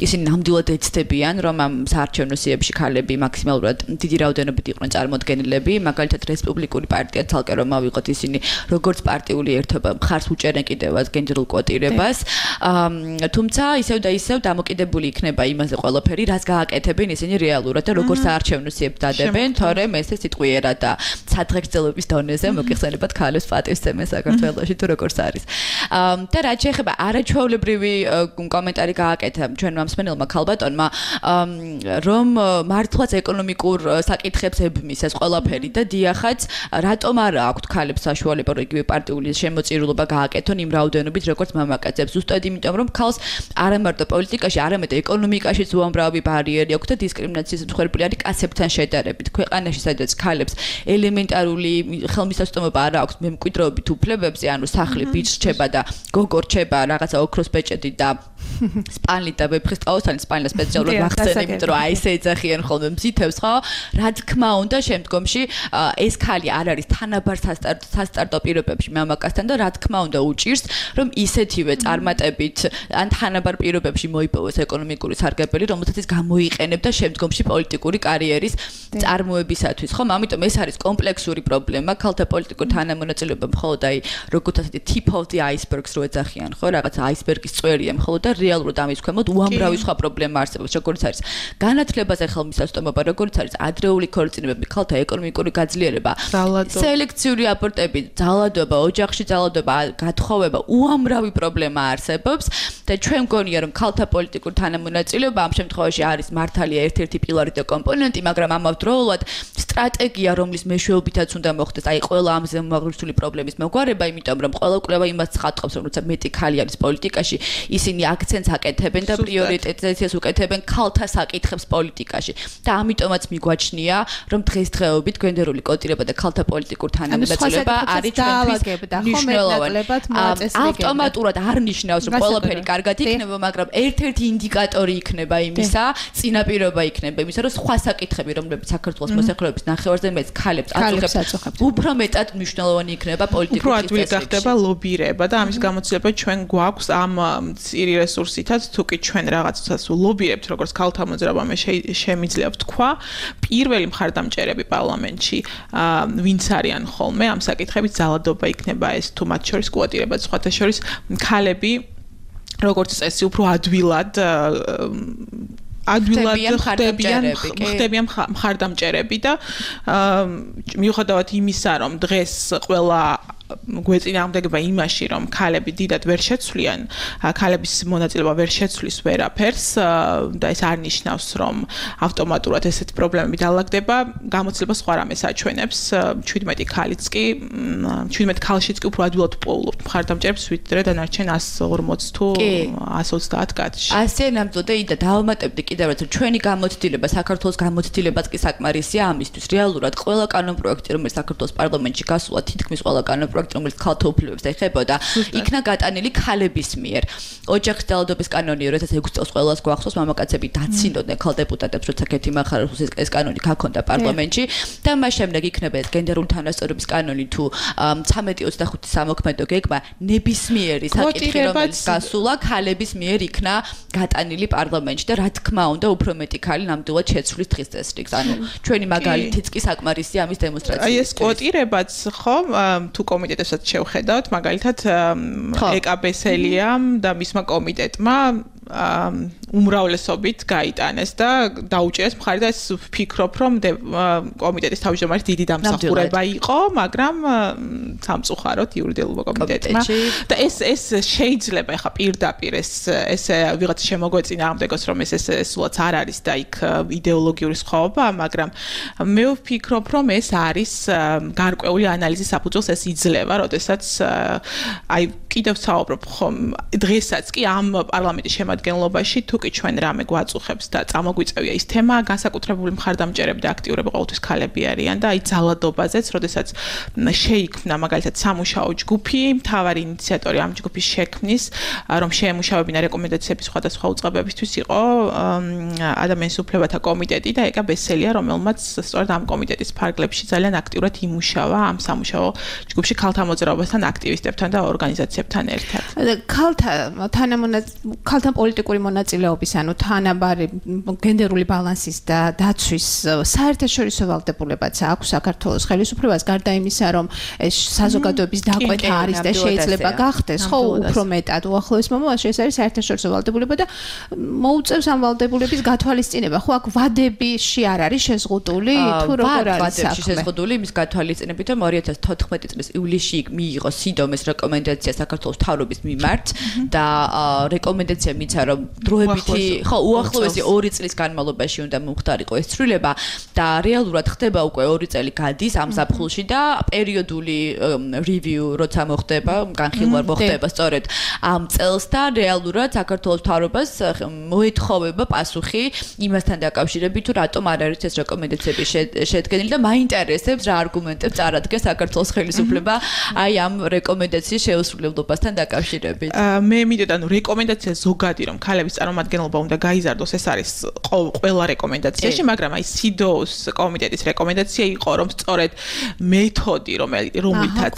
ისინი ნამდვილად ეცდებიან, რომ ამ საარჩევნო სიებში ქალები მაქსიმალურად დიდი რაოდენობით იყვნენ წარმოდგენილები, მაგალითად რესპუბლიკური პარტია თალკე რომ ავიღოთ, ისინი როგორც პარტიული ერთობა მხარს უჭერენ კიდევაც გენდერულ კვოტირებას, თუმცა ისევ და ისევ დამოკიდებული იქნება იმაზე ყველაფერი, რაც გააკეთებენ ისინი რეალურად და როგორც საარჩევნო სიებს დადებენ, თორემ ესე სიტყვიერად და სადღეგრძელობის დონეზე მოგიხსენებათ ქალებს პატივსცემენ საქართველოში თუ როგორც არის. და რაც შეეხება არაჩვეულებრივი კომენტარი გააკეთა ჩვენმა მსმენელმა ქალბატონმა, რომ მართლაც ეკონომიკურ საკითხებს ებმის ეს ყველაფერი და დიახაც რატომ არა აქვთ ქალებს საშუალება იგივე პარტიული შემოწირულობა გააკეთონ იმ რაოდენობით როგორც მამაკაცებს, ზუსტად იმიტომ რომ ქალს არა მარტო პოლიტიკაში, არამედ ეკონომიკაშიც უამრავი ბარიერი აქვს და დისკრიმინაციის მსხვერპლი არის კაცებთან შედარებით. ქვეყანაში სადაც ქალებს ელემენტარული ხელმისაწვდომობა არ აქვს მემკვიდრეობით უფლებებზე, ანუ სახლი ბიჭს რჩება და გოგო რჩება რაღაცა ოქროს ბეჭედი და სპანლი და ვეფხისტყაოსანი სპანლა სპეციალურად ვახსენე, იმიტომ რომ აი ესე ეძახიან ხოლმე მზითებს, ხო? რა თქმა უნდა, შემდგომში ეს ქალი არ არის თანაბარ სასტარტო პირობებში მამაკაცთან და რა თქმა უნდა უჭირს, რომ ისეთივე წარმატებით ან თანაბარ პირობებში მოიპოვოს ეკონომიკური სარგებელი, რომელსაც ის გამოიყენებდა შემდგომში პოლიტიკური კარიერის წარმოებისათვის, ხო? ამიტომ ეს არის კომპლექსური პრობლემა, ქალთა პოლიტიკური თანამონაწილეობა მხოლოდ აი როგორც ასეთი tip of the iceberg-ს რო ეძახიან, ხო? რაღაც აისბერგის წვერია მხოლოდ და რეალურად ამის ქვემოთ უამრავი სხვა პრობლემა არსებობს, როგორც არის განათლებაზე ხელმისაწვდომობა, როგორც არის ადრეული ქორწინებები, ქალთა ეკონომიკური გაძლიერება, სელექციური აბორტები, ძალადობა, ოჯახში ძალადობა, გათხოვება, უამრავი პრობლემა არსებობს და ჩვენ მგონია რომ ქალთა პოლიტიკური თანამონაწილეობა ამ შემთხვევაში არის მართალია ერთ-ერთი პილარი და კომპონენტი, მაგრამ ამავდროულად სტრატეგია, რომლის მეშვეობითაც უნდა მოხდეს, აი ყველა ამ ზემოაღრიცხვული პრობლემის მოგვარება, იმიტომ რომ ყველა კვლევა იმას ცხადყოფს, რომ როცა მეტი ქალი არის პოლიტიკაში, ისინი აქცენტს აკეთებენ და პრიორიტეტიზაციას უკეთებენ ქალთა საკითხებს პოლიტიკაში. და ამიტომაც მიგვაჩნია, რომ დღესდღეობით გენდერული კოტირება და ქალთა პოლიტიკური თანამონაწილეობა არის ჩვენთვის მნიშვნელოვანი. ავტომატურად არ ნიშნავს, რომ ყველაფერი კარგად იქნება, მაგრამ ერთ-ერთი ინდიკატორი იქნება იმისა, წინაპირობა იქნება იმისა, რომ სხვა საკითხები, რომლებიც საქართველოს მოსახლეობის ნახევარზე მეც ქალებს აწუხებს, უფრო მეტად მნიშვნელოვანი იქნება პოლიტიკური უფრო ადვილი გახდება ლობირება და ამის გამოცდილება ჩვენ გვაქვს ამ წირი რესურსითაც, თუ კი ჩვენ რაღაცას ლობირებთ, როგორც ქალთა მოძრაობა შემიძლია ვთქვა, პირველი მხარდამჭერები პარლამენტში ვინც არიან ხოლმე ამ საკითხებით ძალადობა იქნება ეს თუ მათ შორის კვოტირება, სხვათა შორის ხალები როგორც წესი უფრო ადვილად ხდებიან მხარდამჭერები და მიუხედავად იმისა, რომ დღეს ყველა გვეწინააღმდეგება იმაში, რომ ქალები დიდად ვერ შეცვლიან, ქალების მონაწილეობა ვერ შეცვლის ვერაფერს და ეს არ ნიშნავს, რომ ავტომატურად ესეთი პრობლემები დაალაგდება, გამოცდილება სხვა რამეს აჩვენებს, 17 ქალიც კი, 17 ქალშიც კი უფრო ადვილად პოულობთ მხარდამჭერებს, ვიდრე დანარჩენ 140 თუ 130 კაცში. ასე ნამდვილად და დავამატებდი კიდევ რაც ჩვენი გამოცდილება, საქართველოს გამოცდილებაც კი საკმარისია ამისთვის. რეალურად ყველა კანონპროექტი, რომელიც საქართველოს პარლამენტში გასულა, თითქმის ყველა კანონპროექტი რომელიც ქალთა უფლებებს ეხებოდა, იქნა გატანილი ქალების მიერ. ოჯახის ძალადობის კანონი 2006 წელს ყველას გვახსოვს, მამაკაცები დაცინოდნენ ქალ დეპუტატებს, როცა ქეთი მახარაძის ეს კანონი გაქონდა პარლამენტში და მას შემდეგ იქნება ეს გენდერული თანასწორობის კანონი თუ 1325 სამოქმედო გეგმა, ნებისმიერი საკითხი რომელიც გასულა ქალების მიერ იქნა გატანილი პარლამენტში და რა თქმა უნდა უფრო მეტი ქალი ნამდვილად შეცვლის დღის წესრიგს. ანუ ჩვენი მაგალითიც კი საკმარისია ამის დემონსტრაცია. აი ეს კვოტირებაც ხო თუ კომიტეტებსაც შევხედავთ, მაგალითად ეკაბესელიამ და მისმა კომიტეტმა უმრავლესობით გაიტანეს და დაუჭერეს მხარი და ეს ვფიქრობ, რომ კომიტეტის თავმჯდომარის დიდი დამსახურება იყო, მაგრამ სამწუხაროდ იურიდიულობა კომიტეტმა და ეს შეიძლება ხა პირდაპირ ეს ვიღაც შემოგვეწინააღმდეგოს, რომ ეს სულაც არ არის და იქ იდეოლოგიური სხვაობა, მაგრამ მე ვფიქრობ, რომ ეს არის გარკვეული ანალიზის საფუძველს ეს იძლევა, როდესაც აი კიდევ საუბრობ ხომ დღესაც კი ამ პარლამენტის შემადგენლობაში თუ კი ჩვენ რამე გვაწუხებს და წამოგვიწევია ის თემა, განსაკუთრებული მხარდამჭერები და აქტიურები ყოველთვის ქალები არიან და აი ძალადობაზეც, როდესაც შეიქმნა მაგალითად სამუშაო ჯგუფი, მთავარი ინიციატორი ამ ჯგუფის შექმნის, რომ შეემუშავებინა რეკომენდაციები სხვადასხვა უწყებებისთვის იყო ადამიანის უფლებათა კომიტეტი და ეკაბესელია, რომელმაც სწორედ ამ კომიტეტის ფარგლებში ძალიან აქტიურად იმუშავა ამ სამუშაო ჯგუფში ქალთა მოძრაობასთან, აქტივისტებთან და ორგანიზაციებთან ერთად. ქალთა პოლიტიკური მონაწილეობის, ანუ თანაბარი გენდერული ბალანსის და დაცვის საერთაშორისო ვალდებულებაც აქვს საქართველოს ხელისუფლებას, გარდა იმისა, რომ ეს საზოგადოების დაკვეთა არის და შეიძლება გახდეს, ხო, უფრო მეტად უახლოეს მომავალში ეს არის საერთაშორისო ვალდებულება და მოუწევს ამ ვალდებულების გათვალისწინება. ხო, აქ ვადებში არ არის შეზღუდული, თუ როგორ არის საქმე? ვადებში შეზღუდული იმის გათვალისწინებით, რომ 2014 წლის ივლისში მიიღო სიდომეს რეკომენდაცია საქართველოს მთავრობის მიმართ და რეკომენდაცია მიცა იმისა, რომ დროებითი, ხო, უახლოესი 2 წლის განმავლობაში უნდა მომხდარიყო ეს ცვლილება და რეალურად ხდება უკვე 2 წელი გადის ამ ზაფხულში და პერიოდული review როცა მოხდება, განხილვა მოხდება სწორედ ამ წელს და რეალურად საქართველოს მთავრობას მოეთხოვება პასუხი იმასთან დაკავშირებით, თუ რატომ არ არის ეს რეკომენდაციები შედგენილი და მაინტერესებს რა არგუმენტებს წარადგენს საქართველოს ხელისუფლება აი ამ რეკომენდაციის შეუსრულებლობასთან დაკავშირებით. მე მინდოდა რეკომენდაცია ზოგადი რომ ქალების წარმომადგენლობა უნდა გაიზარდოს ეს არის ყველა რეკომენდაციაში, მაგრამ აი CEDAW-ს კომიტეტის რეკომენდაცია იყო რომ სწორედ მეთოდი რომელითაც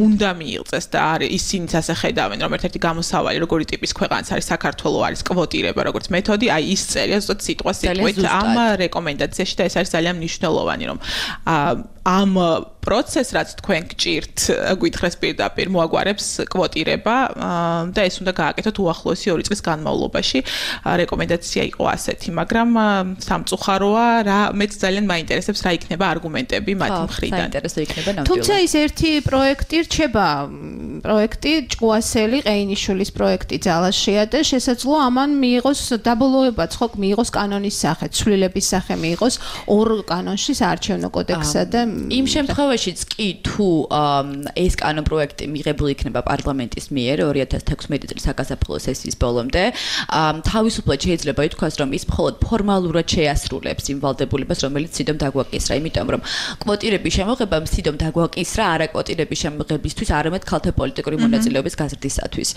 უნდა მიიღწეს და არის ისინიც ასე ხედავენ რომ ერთ-ერთი გამოსავალი როგორი ტიპის ქვეყანაც არის საქართველოს არის კვოტირება როგორც მეთოდი, აი ის წერია ზუსტად სიტყვასიტყვით ამ რეკომენდაციაში და ეს არის ძალიან მნიშვნელოვანი რომ ამ პროცესს რაც თქვენ გჭირთ გვითხრეს პირდაპირ მოაგვარებს კვოტირება და ეს უნდა გააკეთოთ უახლოესი 2 წლის განმავლობაში. რეკომენდაცია იყო ასეთი, მაგრამ სამწუხაროა რა მეც ძალიან მაინტერესებს რა იქნება არგუმენტები მათ მხრიდან. საინტერესო იქნება ნამდვილად. თუმცა ის ერთი პროექტი რჩება პროექტი ჭკუასელი ყეინიშვილის პროექტი ძალაშია და შესაძლოა ამან მიიღოს დაბოლოებაც ხო მიიღოს კანონის სახე, ცვლილების სახე მიიღოს 2 კანონში საარჩევნო კოდექსსა და იმ შემთხვევაშიც კი თუ ეს კანონპროექტი მიღებული იქნება პარლამენტის მიერ 2016 წლის საგაზაფხულო სესიის ბოლომდე, თავისუფლად შეიძლება ითქვას, რომ ის მხოლოდ ფორმალურად შეასრულებს იმ ვალდებულებას, რომელიც CEDAW-მ დაგვაკისრა, იმიტომ რომ კვოტირების შემოღება CEDAW-მ დაგვაკისრა არა კვოტირების შემოღებისთვის, არამედ ქალთა პოლიტიკური მონაწილეობის გაზრდისათვის.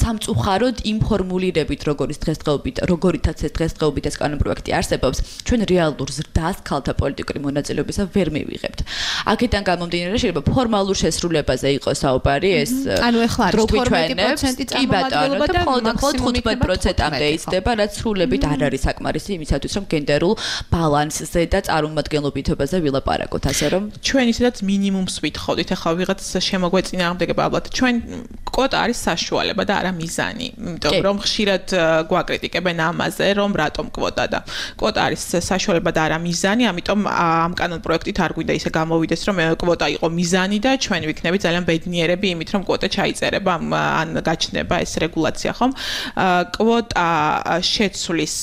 სამწუხაროდ იმ ფორმულირებით, როგორითაც ეს დღესდღეობით ეს კანონპროექტი არსებობს, ჩვენ რეალურ ზრდას ქალთა პოლიტიკური მონაწილეობისა ვერ მივიღებთ. აქედან გამომდინარე შეიძლება ფორმალურ შესრულებაზე იყოს საუბარი, ეს ანუ ეხლა არის 12% წარმომადგენლობა და მხოლოდ 15%-მდე იზრდება, რაც სრულებით არ არის საკმარისი იმისათვის, რომ გენდერულ ბალანსზე და წარმომადგენლობითობაზე ვილაპარაკოთ, ასე რომ ჩვენ ისედაც მინიმუმს ვითხოვდით, ახლა ვიღაც შემოგვეწინააღმდეგება ალბათ. ჩვენ კვოტა არის საშუალება და არა მიზანი, იმიტომ რომ ხშირად გვაკრიტიკებენ ამაზე, რომ რატომ კვოტა და კვოტა არის საშუალება და არა მიზანი, ამიტომ ამ კანონპროექტით არ გვინდა ისე გამოვიდეს, რომ კვოტა იყო მიზანი და ჩვენ ვიქნებით ძალიან ბედნიერები იმით, რომ კვოტა ჩაიწერება ან გაჩნდება ეს რეგულაცია, ხომ? კვოტა შეცვლის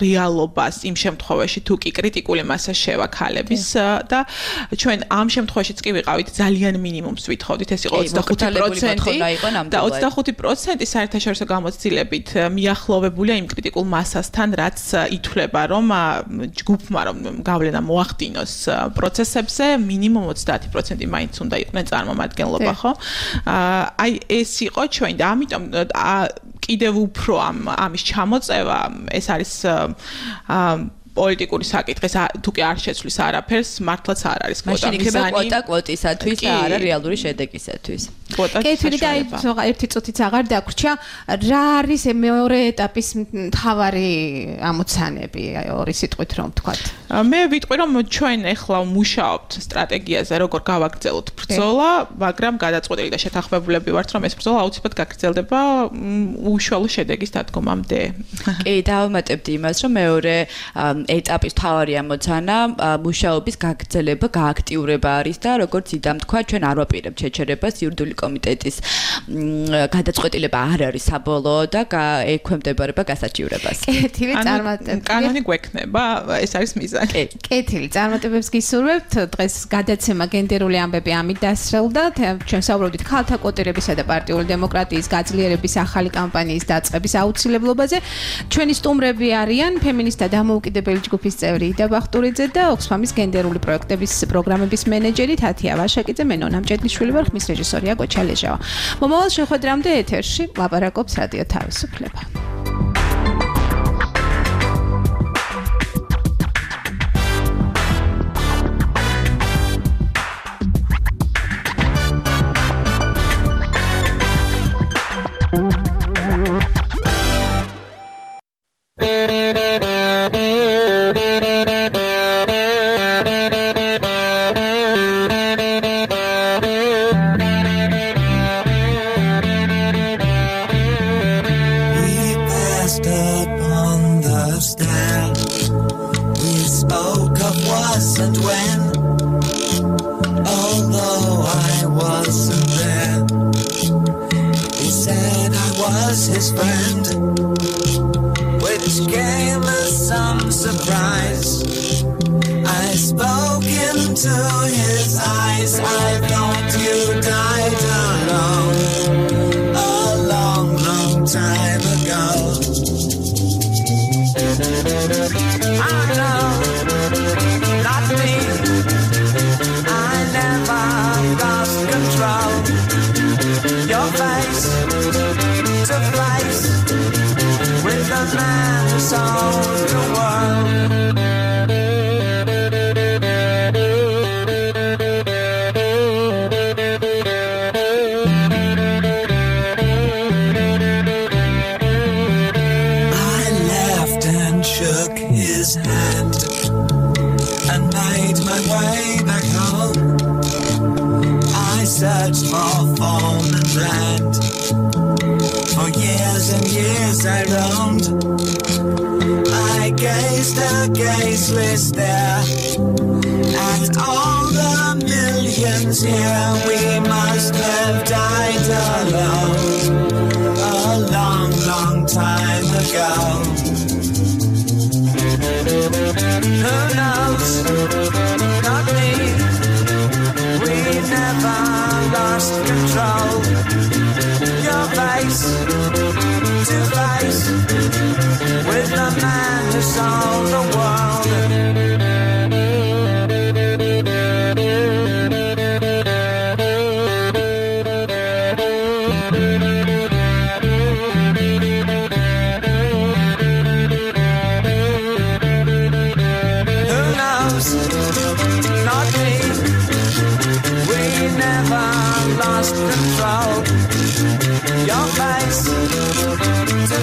რეალობას იმ შემთხვევაში, თუ კი კრიტიკული მასა შევა ქალების და ჩვენ ამ შემთხვევაშიც კი ვიყავით ძალიან მინიმუმს ვითხოვდით, ეს იყო 25% და 25% საერთაშორისო გამოცდილებით მიახლოვებულია იმ კრიტიკულ მასასთან, რაც ითვლება, რომ ჯგუფმა რომ გავლენა მოახდინოს პროცესებზე მინიმუმ 30% მაინც უნდა იყვნენ წარმომადგენლობა, ხო? აი ეს იყო ჩვენ და ამიტომ კიდევ უფრო ამის ჩამოწევა ეს არის პოლიტიკური საკითხი, თუ კი არ შეცვლის არაფერს, მართლაც არ არის კვოტა მიზანი. კვოტა კვოტისათვის და არა რეალური შედეგისათვის. კეთილი და ერთი წუთიც აღარ დაგვრჩა, რა არის მეორე ეტაპის მთავარი ამოცანები, ორი სიტყვით რომ ვთქვათ. მე ვიტყვი რომ ჩვენ ახლა მუშაობთ სტრატეგიაზე, როგორ გავაგრძელოთ ბრძოლა, მაგრამ გადაწყვეტილი და შეთანხმებულები ვართ, რომ ეს ბრძოლა აუცილებლად გაგრძელდება უშუალო შედეგის დადგომამდე. კი, დავამატებდი იმას, რომ მეორე ეტაპის მთავარი ამოცანა მუშაობის გაგრძელება, გააქტიურება არის და როგორც იდამ თქვა, ჩვენ არ ვაპირებთ შეჩერებას, იურიდიული კომიტეტის გადაწყვეტილება არ არის საბოლოო და ექვემდებარება გასაჩივრებას. კეთილი წარმატებები. კანონი გვექნება, ეს არის მიზანი. კეთილი წარმატებებს გისურვებთ. დღეს გადაცემა გენდერული ამბები ამით დასრულდა. ჩვენ საუბრობდით ქალთა კვოტირებისა და პარტიული დემოკრატიის გაძლიერების ახალი კამპანიის დაწყების აუცილებლობაზე. ჩვენი სტუმრები არიან ფემინისტთა დამოუკიდებელი ჯგუფის წევრი იდა ბახტურიძე და ოქსფამის გენდერული პროექტების პროგრამების მენეჯერი თათია ვაშაკიძე, მე ნონა მჭედლიშვილი ვარ, ხმის რეჟისორია გოჩა ლეჟავა. მომავალ შეხვედრამდე ეთერში ლაპარაკობს რადიო თავისუფლება. was his friend, which gave us some surprise. I spoke into his eyes. I thought you died alone a long, long time ago. I know, not me. I never lost control. Your face to face with the man who sold the world. I laughed and shook his hand and made my way back home. I searched for form and land. For years and years I roamed. I gazed a gazeless stare at all the millions here. We must have died alone a long, long time ago. Who knows? Not me. We never lost control. Your face to face with the man who sold the world. Who knows? Not me. We never lost control. Your face to